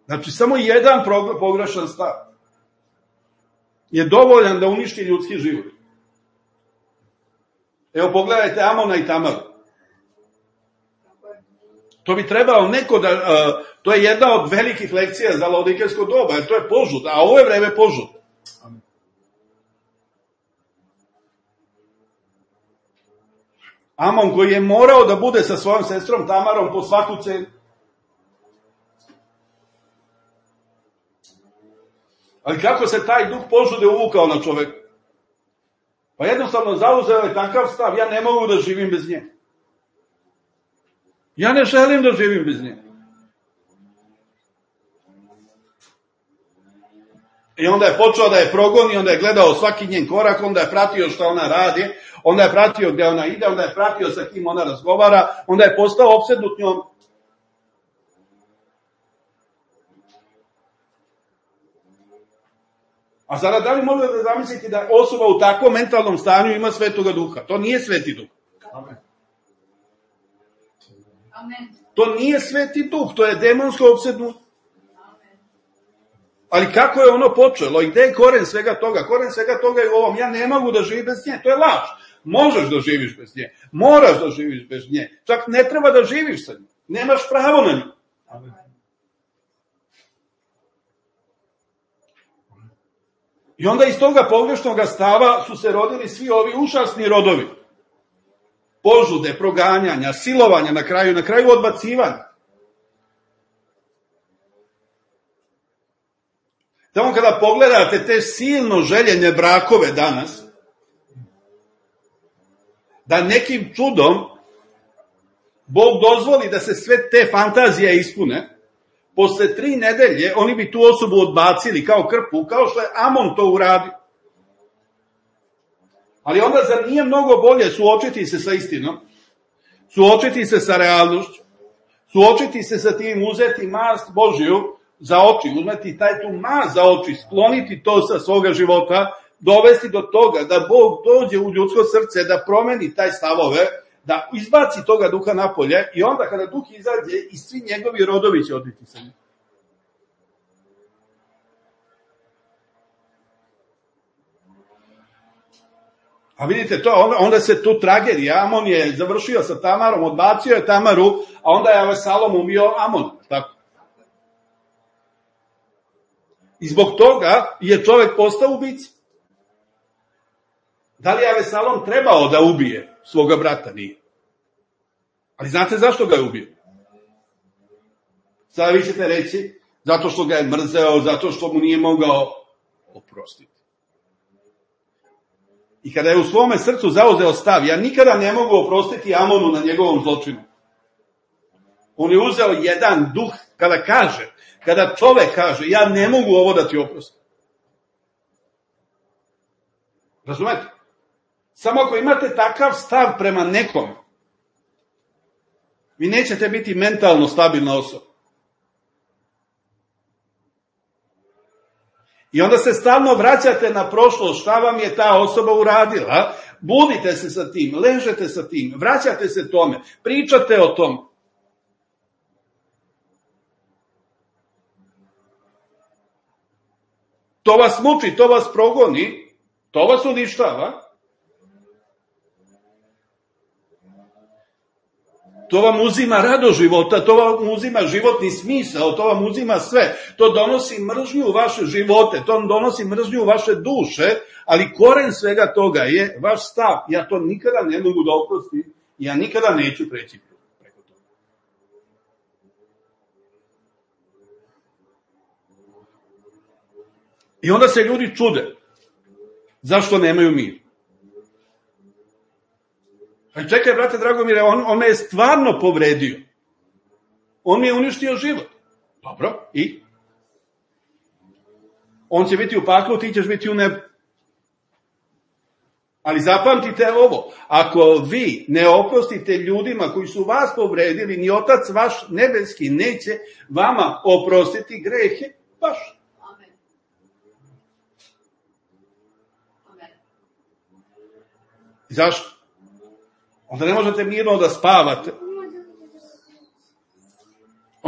Znači, samo jedan pogrešan stav je dovoljan da uništi ljudski život. Evo, pogledajte Amona i Tamaru. To bi trebalo neko da... to je jedna od velikih lekcija za laodikejsko doba, jer to je požud, a ovo je vreme požud. Amon koji je morao da bude sa svojom sestrom Tamarom po svaku cenu. Ali kako se taj duh požude uvukao na čoveka? Pa jednostavno zauzeo je takav stav, ja ne mogu da živim bez nje. Ja ne želim da živim bez nje. I onda je počeo da je progoni, onda je gledao svaki njen korak, onda je pratio šta ona radi, onda je pratio gde ona ide, onda je pratio sa kim ona razgovara, onda je postao opsednut njom. A sada da li možete da zamisliti da osoba u takvom mentalnom stanju ima svetoga duha? To nije sveti duh. Amen. To nije sveti duh, to je demonsko opsednut. Ali kako je ono počelo i gde je koren svega toga? Koren svega toga je u ovom, ja ne mogu da živim bez nje, to je laž. Možeš da živiš bez nje, moraš da živiš bez nje, čak ne treba da živiš sa njim, nemaš pravo na nju. Amen. I onda iz toga pogrešnog stava su se rodili svi ovi užasni rodovi. Požude, proganjanja, silovanja na kraju odbacivanja. Tamo kada pogledate te silno željene brakove danas, da nekim čudom Bog dozvoli da se sve te fantazije ispune, posle 3 nedelje oni bi tu osobu odbacili kao krpu, kao što je Amon to uradio. Ali onda zar nije mnogo bolje suočiti se sa istinom, suočiti se sa realnošću, suočiti se sa tim, uzeti mast Božiju za oči, uzmeti tu mast za oči, skloniti to sa svoga života, dovesti do toga da Bog dođe u ljudsko srce, da promeni taj stavove, da izbaci toga duha napolje i onda kada duh izađe i svi njegovi rodovi će odbiti sa njim. A vidite to, onda se tu tragedija, Amon je završio sa Tamarom, odbacio je Tamaru, a onda je Avsalom ubio Amon, tako. I zbog toga je čovek postao ubica. Da li je Avsalom trebao da ubije svoga brata? Nije. Ali znate zašto ga je ubio? Sada vi ćete reći, zato što ga je mrzeo, zato što mu nije mogao oprostiti. I kada je u svome srcu zauzeo stav, ja nikada ne mogu oprostiti Amonu na njegovom zločinu. On je uzeo jedan duh, kada čovek kaže, ja ne mogu ovo da ti oprostim. Razumete? Samo ako imate takav stav prema nekom, vi nećete biti mentalno stabilna osoba. I onda se stalno vraćate na prošlost, šta vam je ta osoba uradila, budite se sa tim, ležete sa tim, vraćate se tome, pričate o tome. To vas muči, to vas progoni, to vas uništava. To vam uzima radost života, to vam uzima životni smisao, to vam uzima sve. To donosi mržnju u vaše živote, to donosi mržnju u vaše duše, ali koren svega toga je vaš stav. Ja to nikada ne mogu da oprostim, ja nikada neću preći preko toga. I onda se ljudi čude. Zašto nemaju mir? Čekaj, brate Dragomire, on me je stvarno povredio. On mi je uništio život. Dobro, i? On će biti u paklu, ti ćeš biti u nebu. Ali zapamtite ovo, ako vi ne oprostite ljudima koji su vas povredili, ni Otac vaš nebeski neće vama oprostiti grehe vaše. Zašto? Onda ne možete mirno da spavate.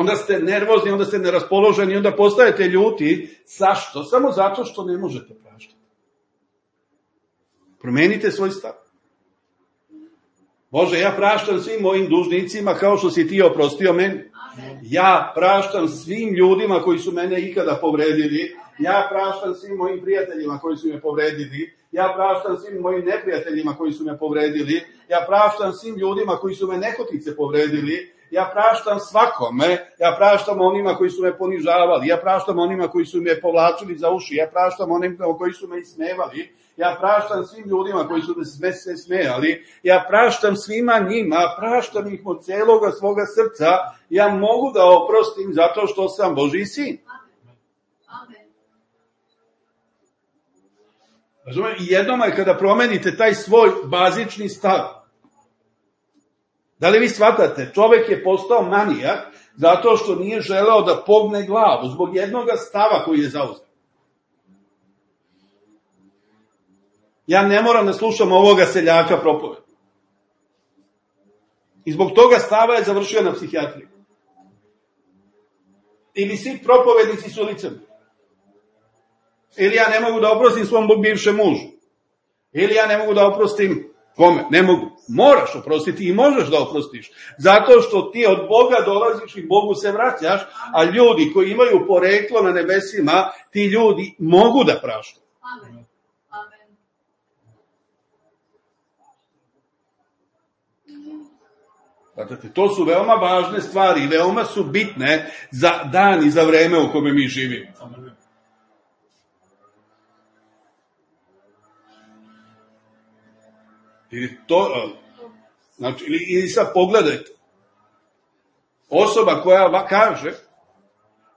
Onda ste nervozni, onda ste neraspoloženi, onda postajete ljuti. Zašto? Samo zato što ne možete praštati. Promenite svoj stav. Bože, ja praštam svim mojim dužnicima kao što si ti oprostio meni. Ja praštam svim ljudima koji su mene ikada povredili. Ja praštam svim mojim prijateljima koji su me povredili. Ja praštam svim mojim neprijateljima koji su me povredili. Ja praštam svim ljudima koji su me nehotice povredili. Ja praštam svakome. Ja praštam onima koji su me ponižavali. Ja praštam onima koji su me povlačili za uši. Ja praštam onima koji su me ismevali. Ja praštam svim ljudima koji su se smejali. Ja praštam svima njima. Praštam ih od celoga svoga srca. Ja mogu da oprostim zato što sam Božji sin. I jednom je kada promenite taj svoj bazični stav. Da li vi shvatate? Čovek je postao manijak zato što nije želeo da pogne glavu zbog jednog stava koji je zauzeo. Ja ne moram da slušam ovoga seljaka propoveda. I zbog toga stava je završio na psihijatriji. Ili svi propovednici su licemeri. Ili ja ne mogu da oprostim svom bivšem mužu. Ili ja ne mogu da oprostim kome? Ne mogu. Moraš oprostiti i možeš da oprostiš. Zato što ti od Boga dolaziš i Bogu se vraćaš, a ljudi koji imaju poreklo na nebesima, ti ljudi mogu da praštaju. Amen. Amen. Dakle, to su veoma važne stvari i veoma su bitne za dan i za vreme u kome mi živimo. Ili to, znači, ili sad pogledajte. Osoba koja kaže,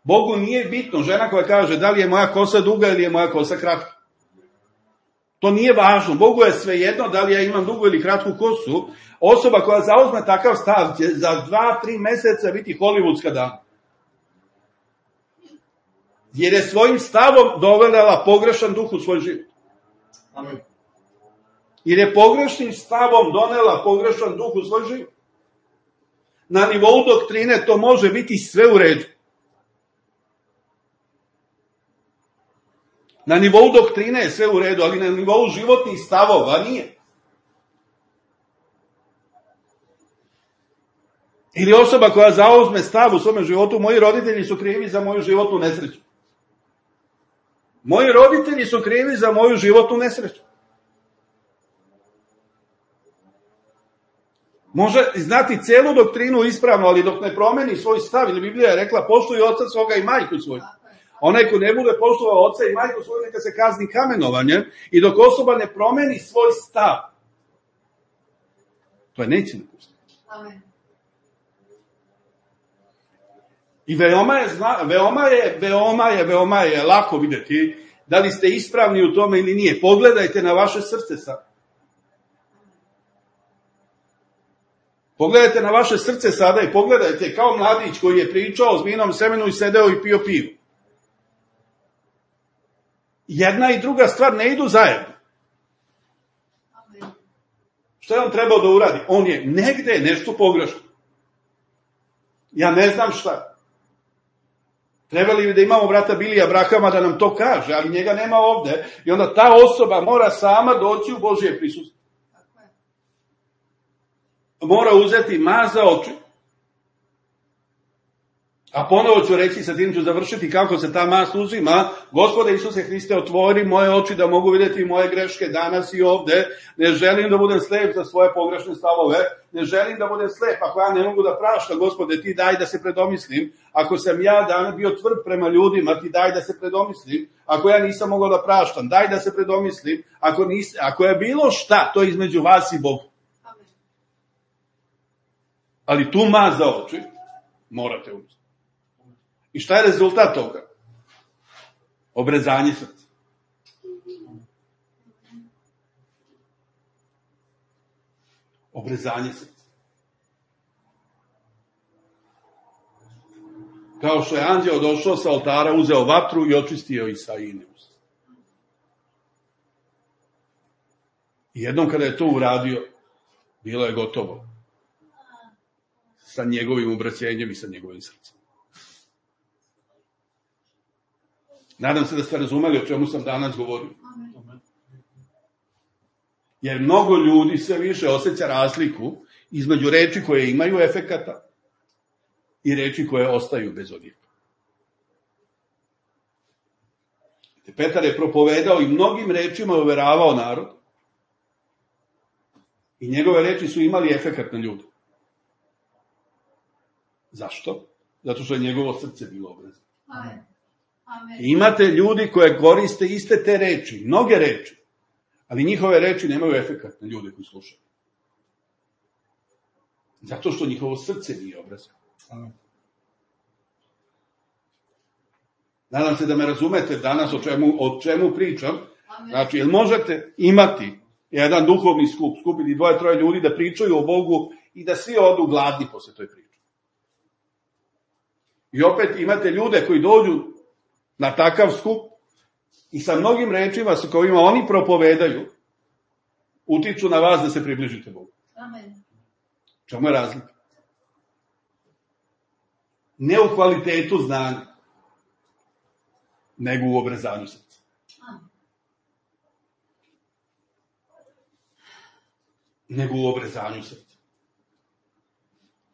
Bogu nije bitno, žena koja kaže da li je moja kosa duga ili je moja kosa kratka. To nije važno. Bogu je svejedno da li ja imam dugu ili kratku kosu. Osoba koja zauzme takav stav će za 2-3 meseca biti hollywoodska dama. Jer je svojim stavom dovela pogrešan duh u svoj život. Amen. Jer je pogrešnim stavom donela pogrešan duh u svoj život. Na nivou doktrine to može biti sve u redu. Na nivou doktrine je sve u redu, ali na nivou životnih stavova nije. Ili osoba koja zauzme stav u svome životu, moji roditelji su krivi za moju životnu nesreću. Moji roditelji su krivi za moju životnu nesreću. Može znati celu doktrinu ispravno, ali dok ne promeni svoj stav, ili Biblija je rekla, poštuj oca svoga i majku svoju. Onaj ko ne bude poštovao oca i majku svoju, neka se kazni kamenovanjem, i dok osoba ne promeni svoj stav, to je neće napustiti. Amen. I veoma je lako videti da li ste ispravni u tome ili nije. Pogledajte na vaše srce sad. Pogledajte na vaše srce sada i pogledajte kao mladić koji je pričao o zmijenom semenu i sedeo i pio pivo. Jedna i druga stvar ne idu zajedno. Amen. Šta je on trebao da uradi? On je negde nešto pogrešno. Ja ne znam šta. Trebali bi da imamo brata Bilija Abrahama da nam to kaže, ali njega nema ovde. I onda ta osoba mora sama doći u Božje prisustvo. Mora uzeti maz za oči. A ponovo ću reći, sa tim ću završiti kako se ta maz uzima. Gospode Isuse Hriste, otvori moje oči da mogu vidjeti moje greške danas i ovde. Ne želim da budem slep za svoje pogrešne stavove. Ne želim da budem slep ako ja ne mogu da praštam. Gospode, ti daj da se predomislim. Ako sam ja danas bio tvrd prema ljudima, ti daj da se predomislim. Ako ja nisam mogao da praštam, daj da se predomislim. Ako je bilo šta, to je između vas i Boga. Ali tu maz za oči morate uzeti. I šta je rezultat toga? Obrezanje srca. Obrezanje srca. Kao što je anđeo došao sa oltara, uzeo vatru i očistio Isaijine usta. I jednom kada je to uradio, bilo je gotovo sa njegovim obraćenjem i sa njegovim srcem. Nadam se da ste razumeli o čemu sam danas govorio. Amen. Jer mnogo ljudi sve više osjeća razliku između reči koje imaju efekata i reči koje ostaju bez odjeka. Petar je propovedao i mnogim rečima uveravao narod i njegove reči su imali efekat na ljude. Zašto? Zato što je njegovo srce bilo obrazno. Amen. Amen. Imate ljudi koje koriste iste te reči, mnoge reči, ali njihove reči nemaju efekat na ljude koji slušaju. Zato što njihovo srce nije obrazno. Nadam se da me razumete danas o čemu pričam. Znači, jel možete imati jedan duhovni skup, skupiti 2-3 ljudi da pričaju o Bogu i da svi odu gladni posle toj priče. I opet imate ljude koji dođu na takav skup i sa mnogim rečima sa kojima oni propovedaju utiču na vas da se približite Bogu. Amen. Čemu je razlika? Ne u kvalitetu znanja, nego u obrezanju srca. Nego u obrezanju srca.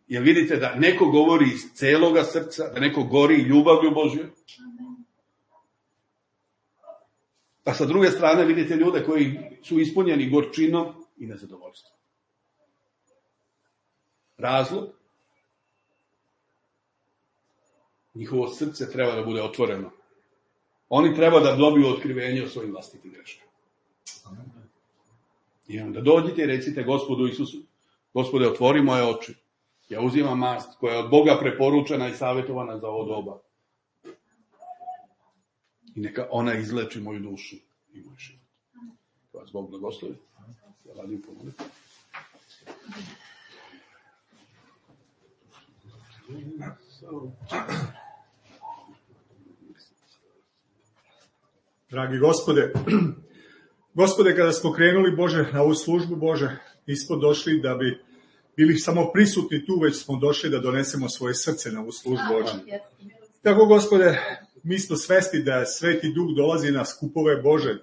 Jer vidite da neko govori iz celoga srca, da neko gori ljubavlju Božju. A sa druge strane vidite ljude koji su ispunjeni gorčinom i nezadovoljstvom. Razlog? Njihovo srce treba da bude otvoreno. Oni treba da dobiju otkrivenje o svojim vlastitim greškama. I onda dođite i recite Gospodu Isusu, Gospode, otvori moje oči. Ja uzimam mast koja je od Boga preporučena i savjetovana za ovo doba. I neka ona izleči moju dušu i moj život. Da vas Bog blagoslovi. Ja radim pomoliti. Dragi Gospode, Gospode, kada smo krenuli, Bože, na ovu službu, Bože, nismo došli da bi bili samo prisutni tu, već smo došli da donesemo svoje srce na ovu službu, Bože. Tako, Gospode, mi smo svesti da Sveti Duh dolazi na skupove, Bože,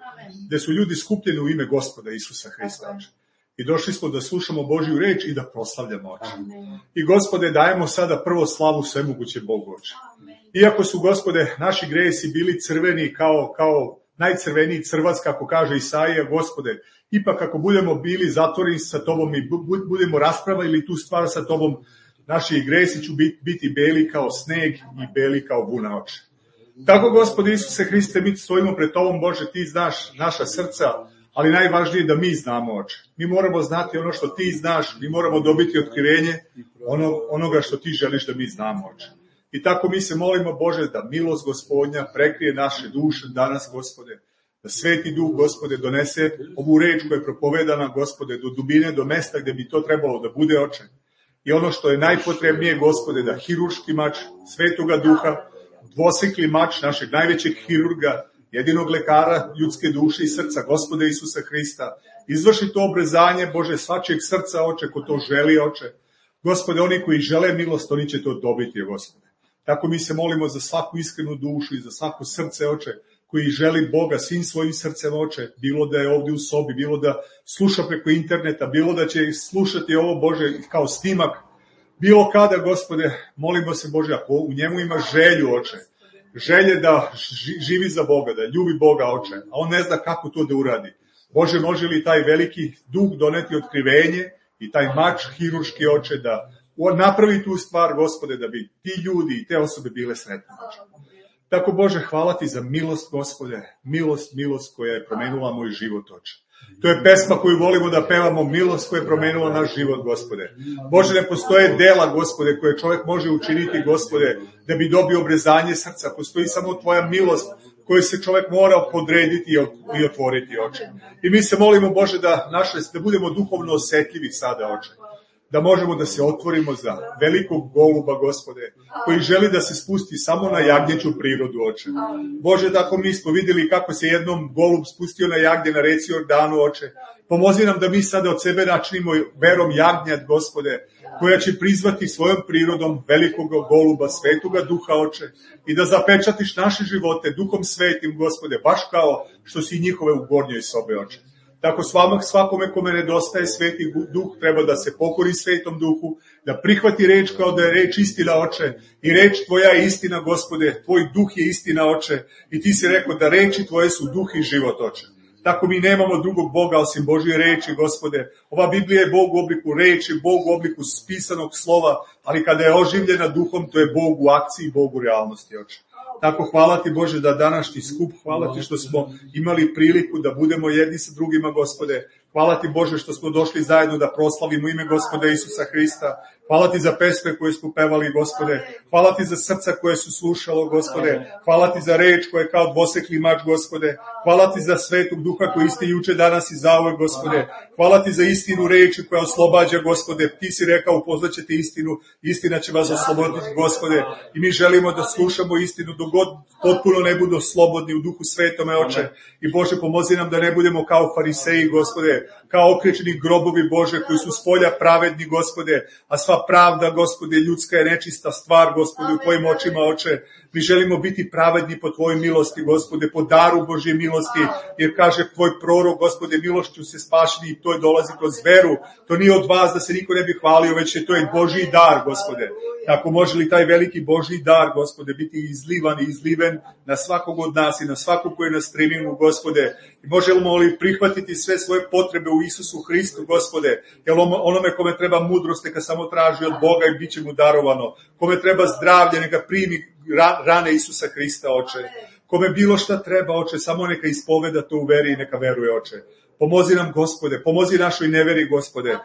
gde su ljudi skupljeni u ime Gospoda Isusa Hrista, Bože. I došli smo da slušamo Božju reč i da proslavljamo, Oče. I, Gospode, dajemo sada prvo slavu svemoguće Bogu, Oče. Iako su, Gospode, naši gresi bili crveni kao najcrveniji crvac, kako kaže Isaija, Gospode, ipak ako budemo bili zatvoreni sa Tobom i budemo raspravili tu stvar sa Tobom, naši gresi će biti beli kao sneg i beli kao vuna, Oče. Tako, Gospode Isuse Hriste, mi stojimo pred Tobom, Bože, Ti znaš naša srca, ali najvažnije je da mi znamo, Oče. Mi moramo znati ono što Ti znaš, mi moramo dobiti otkrivenje onoga što Ti želiš da mi znamo, Oče. I tako mi se molimo, Bože, da milost Gospodnja prekrije naše duše danas, Gospode, da Sveti Duh, Gospode, donese ovu reč koja je propovedana, Gospode, do dubine, do mesta gde bi to trebalo da bude, Oče. I ono što je najpotrebnije, Gospode, da hirurški mač Svetoga Duha, dvosekli mač našeg najvećeg hirurga, jedinog lekara ljudske duše i srca, Gospode Isusa Hrista, izvrši to obrezanje, Bože, svačijeg srca, Oče, ko to želi, Oče. Gospode, oni koji žele milost, oni će to dobiti, Gospode. Tako mi se molimo za svaku iskrenu dušu i za svako srce, Oče, koji želi Boga svim svojim srcem, Oče, bilo da je ovdje u sobi, bilo da sluša preko interneta, bilo da će slušati ovo, Bože, kao snimak, bilo kada, Gospode, molimo se, Bože, ako u njemu ima želju, Oče, želje da živi za Boga, da ljubi Boga, Oče, a on ne zna kako to da uradi. Bože, može li taj veliki Duh doneti otkrivenje i taj mač hirurški, Oče, da napravi tu stvar, Gospode, da bi ti ljudi i te osobe bile sretne, Oče. Tako, Bože, hvala Ti za milost, Gospode, milost koja je promenila moj život, Oče. To je pesma koju volimo da pevamo, milost koja je promenila naš život, Gospode. Bože, ne postoje dela, Gospode, koje čovjek može učiniti, Gospode, da bi dobio obrezanje srca. Postoji samo Tvoja milost koju se čovjek mora podrediti i otvoriti, Oče. I mi se molimo, Bože, da budemo duhovno osjetljivi sada, Oče. Da možemo da se otvorimo za velikog goluba, Gospode, koji želi da se spusti samo na jagnjeću prirodu, Oče. Bože, tako mi smo vidjeli kako se jednom golub spustio na jagnje na reci Jordanu, Oče. Pomozi nam da mi sada od sebe načinimo verom jagnjat, Gospode, koja će prizvati svojom prirodom velikog goluba, svetoga duha, oče, i da zapečatiš naše živote duhom svetim, Gospode, baš kao što si njihove u gornjoj sobe, oče. Tako svakome kome nedostaje sveti duh treba da se pokori svetom duhu, da prihvati reč kao da je reč istina, oče, i reč tvoja je istina, Gospode, tvoj duh je istina, oče, i ti si rekao da reči tvoje su duh i život, oče. Tako mi nemamo drugog Boga osim Božje reči, Gospode. Ova Biblija je Bog u obliku reči, Bog u obliku spisanog slova, ali kada je oživljena duhom, to je Bog u akciji, Bog u realnosti, oče. Tako hvala ti, Bože, da današnji skup, hvala ti što smo imali priliku da budemo jedni sa drugima, Gospode. Hvala ti, Bože, što smo došli zajedno da proslavimo ime Gospoda Isusa Hrista. Hvala ti za pesme koje smo pevali, Gospode. Hvala ti za srca koje su slušalo, Gospode. Hvala ti za reč koja je kao dvosekli mač, Gospode. Hvala ti za svetog duha koji ste juče, danas i zauvek, Gospode. Hvala ti za istinu reči koja oslobađa, Gospode. Ti si rekao, upoznaćete istinu, istina će vas osloboditi, Gospode. I mi želimo da slušamo istinu dok god potpuno ne budu slobodni u duhu svetome, oče. I Bože, pomozi nam da ne budemo kao fariseji, Gospode, kao okrečeni grobovi, Bože, koji su spolja pravedni, Gospode, a sva pravda, Gospode, ljudska je nečista stvar, Gospode, u tvojim očima, oče. Mi želimo biti pravedni po tvojoj milosti, Gospode, po daru Božje milosti, jer kaže tvoj prorok, Gospode, milošću se spašeni i to je dolazi kroz veru. To nije od vas da se niko ne bi hvalio, već je to je Božji dar, Gospode. Tako može li taj veliki Božji dar, Gospode, biti izlivan i izliven na svakog od nas i na svakog koji je na streamingu, Gospode. I možemo li prihvatiti sve svoje potrebe u Isusu Hristu, Gospode, jer onome kome treba mudrost, neka samo traži od Boga i bit će mu darovano. Kome treba zdravlje, neka primi rane Isusa Hrista, oče. Kome bilo šta treba, oče, samo neka ispoveda to u veri i neka veruje, oče. Pomozi nam, Gospode, pomozi našoj neveri, Gospode,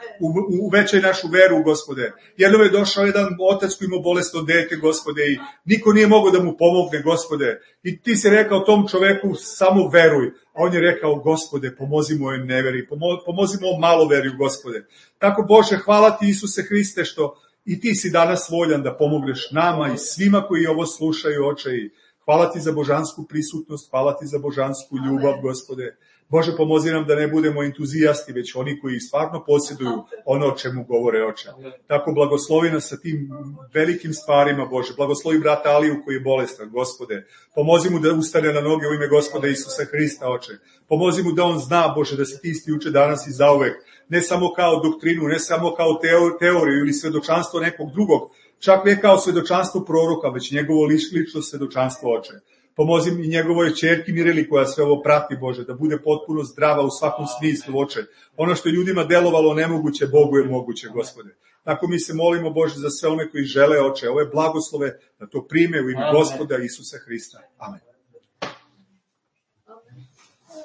uvećaj našu veru, Gospode. Jednom je došao jedan otac koji ima bolesno dete, Gospode, i niko nije mogao da mu pomogne, Gospode. I ti si rekao tom čoveku, samo veruj. A on je rekao, Gospode, pomozi mojoj neveri, pomozi mojom maloveriju, Gospode. Tako, Bože, hvala ti, Isuse Hriste, što i ti si danas voljan da pomogneš nama i svima koji ovo slušaju, oče. I hvala ti za božansku prisutnost, hvala ti za božansku ljubav, Gospode. Bože, pomozi nam da ne budemo entuzijasti, već oni koji stvarno posjeduju ono o čemu govore, oče. Tako blagoslovi nas sa tim velikim stvarima, Bože. Blagoslovi brata Aliju koji je bolestan, Gospode. Pomozi mu da ustane na noge u ime Gospoda Isusa Hrista, oče. Pomozi mu da on zna, Bože, da se ti isti uče danas i zauvek. Ne samo kao doktrinu, ne samo kao teoriju ili svedočanstvo nekog drugog, čak ne kao svedočanstvo proroka, već njegovo lično svedočanstvo, oče. Pomozi i njegovoj ćerki Mireli koja sve ovo prati, Bože, da bude potpuno zdrava u svakom smislu, oče. Ono što je ljudima delovalo nemoguće, Bogu je moguće, Gospode. Tako mi se molimo, Bože, za sve one koji žele, oče, ove blagoslove, da to prime u ime Gospoda Isusa Hrista. Amen.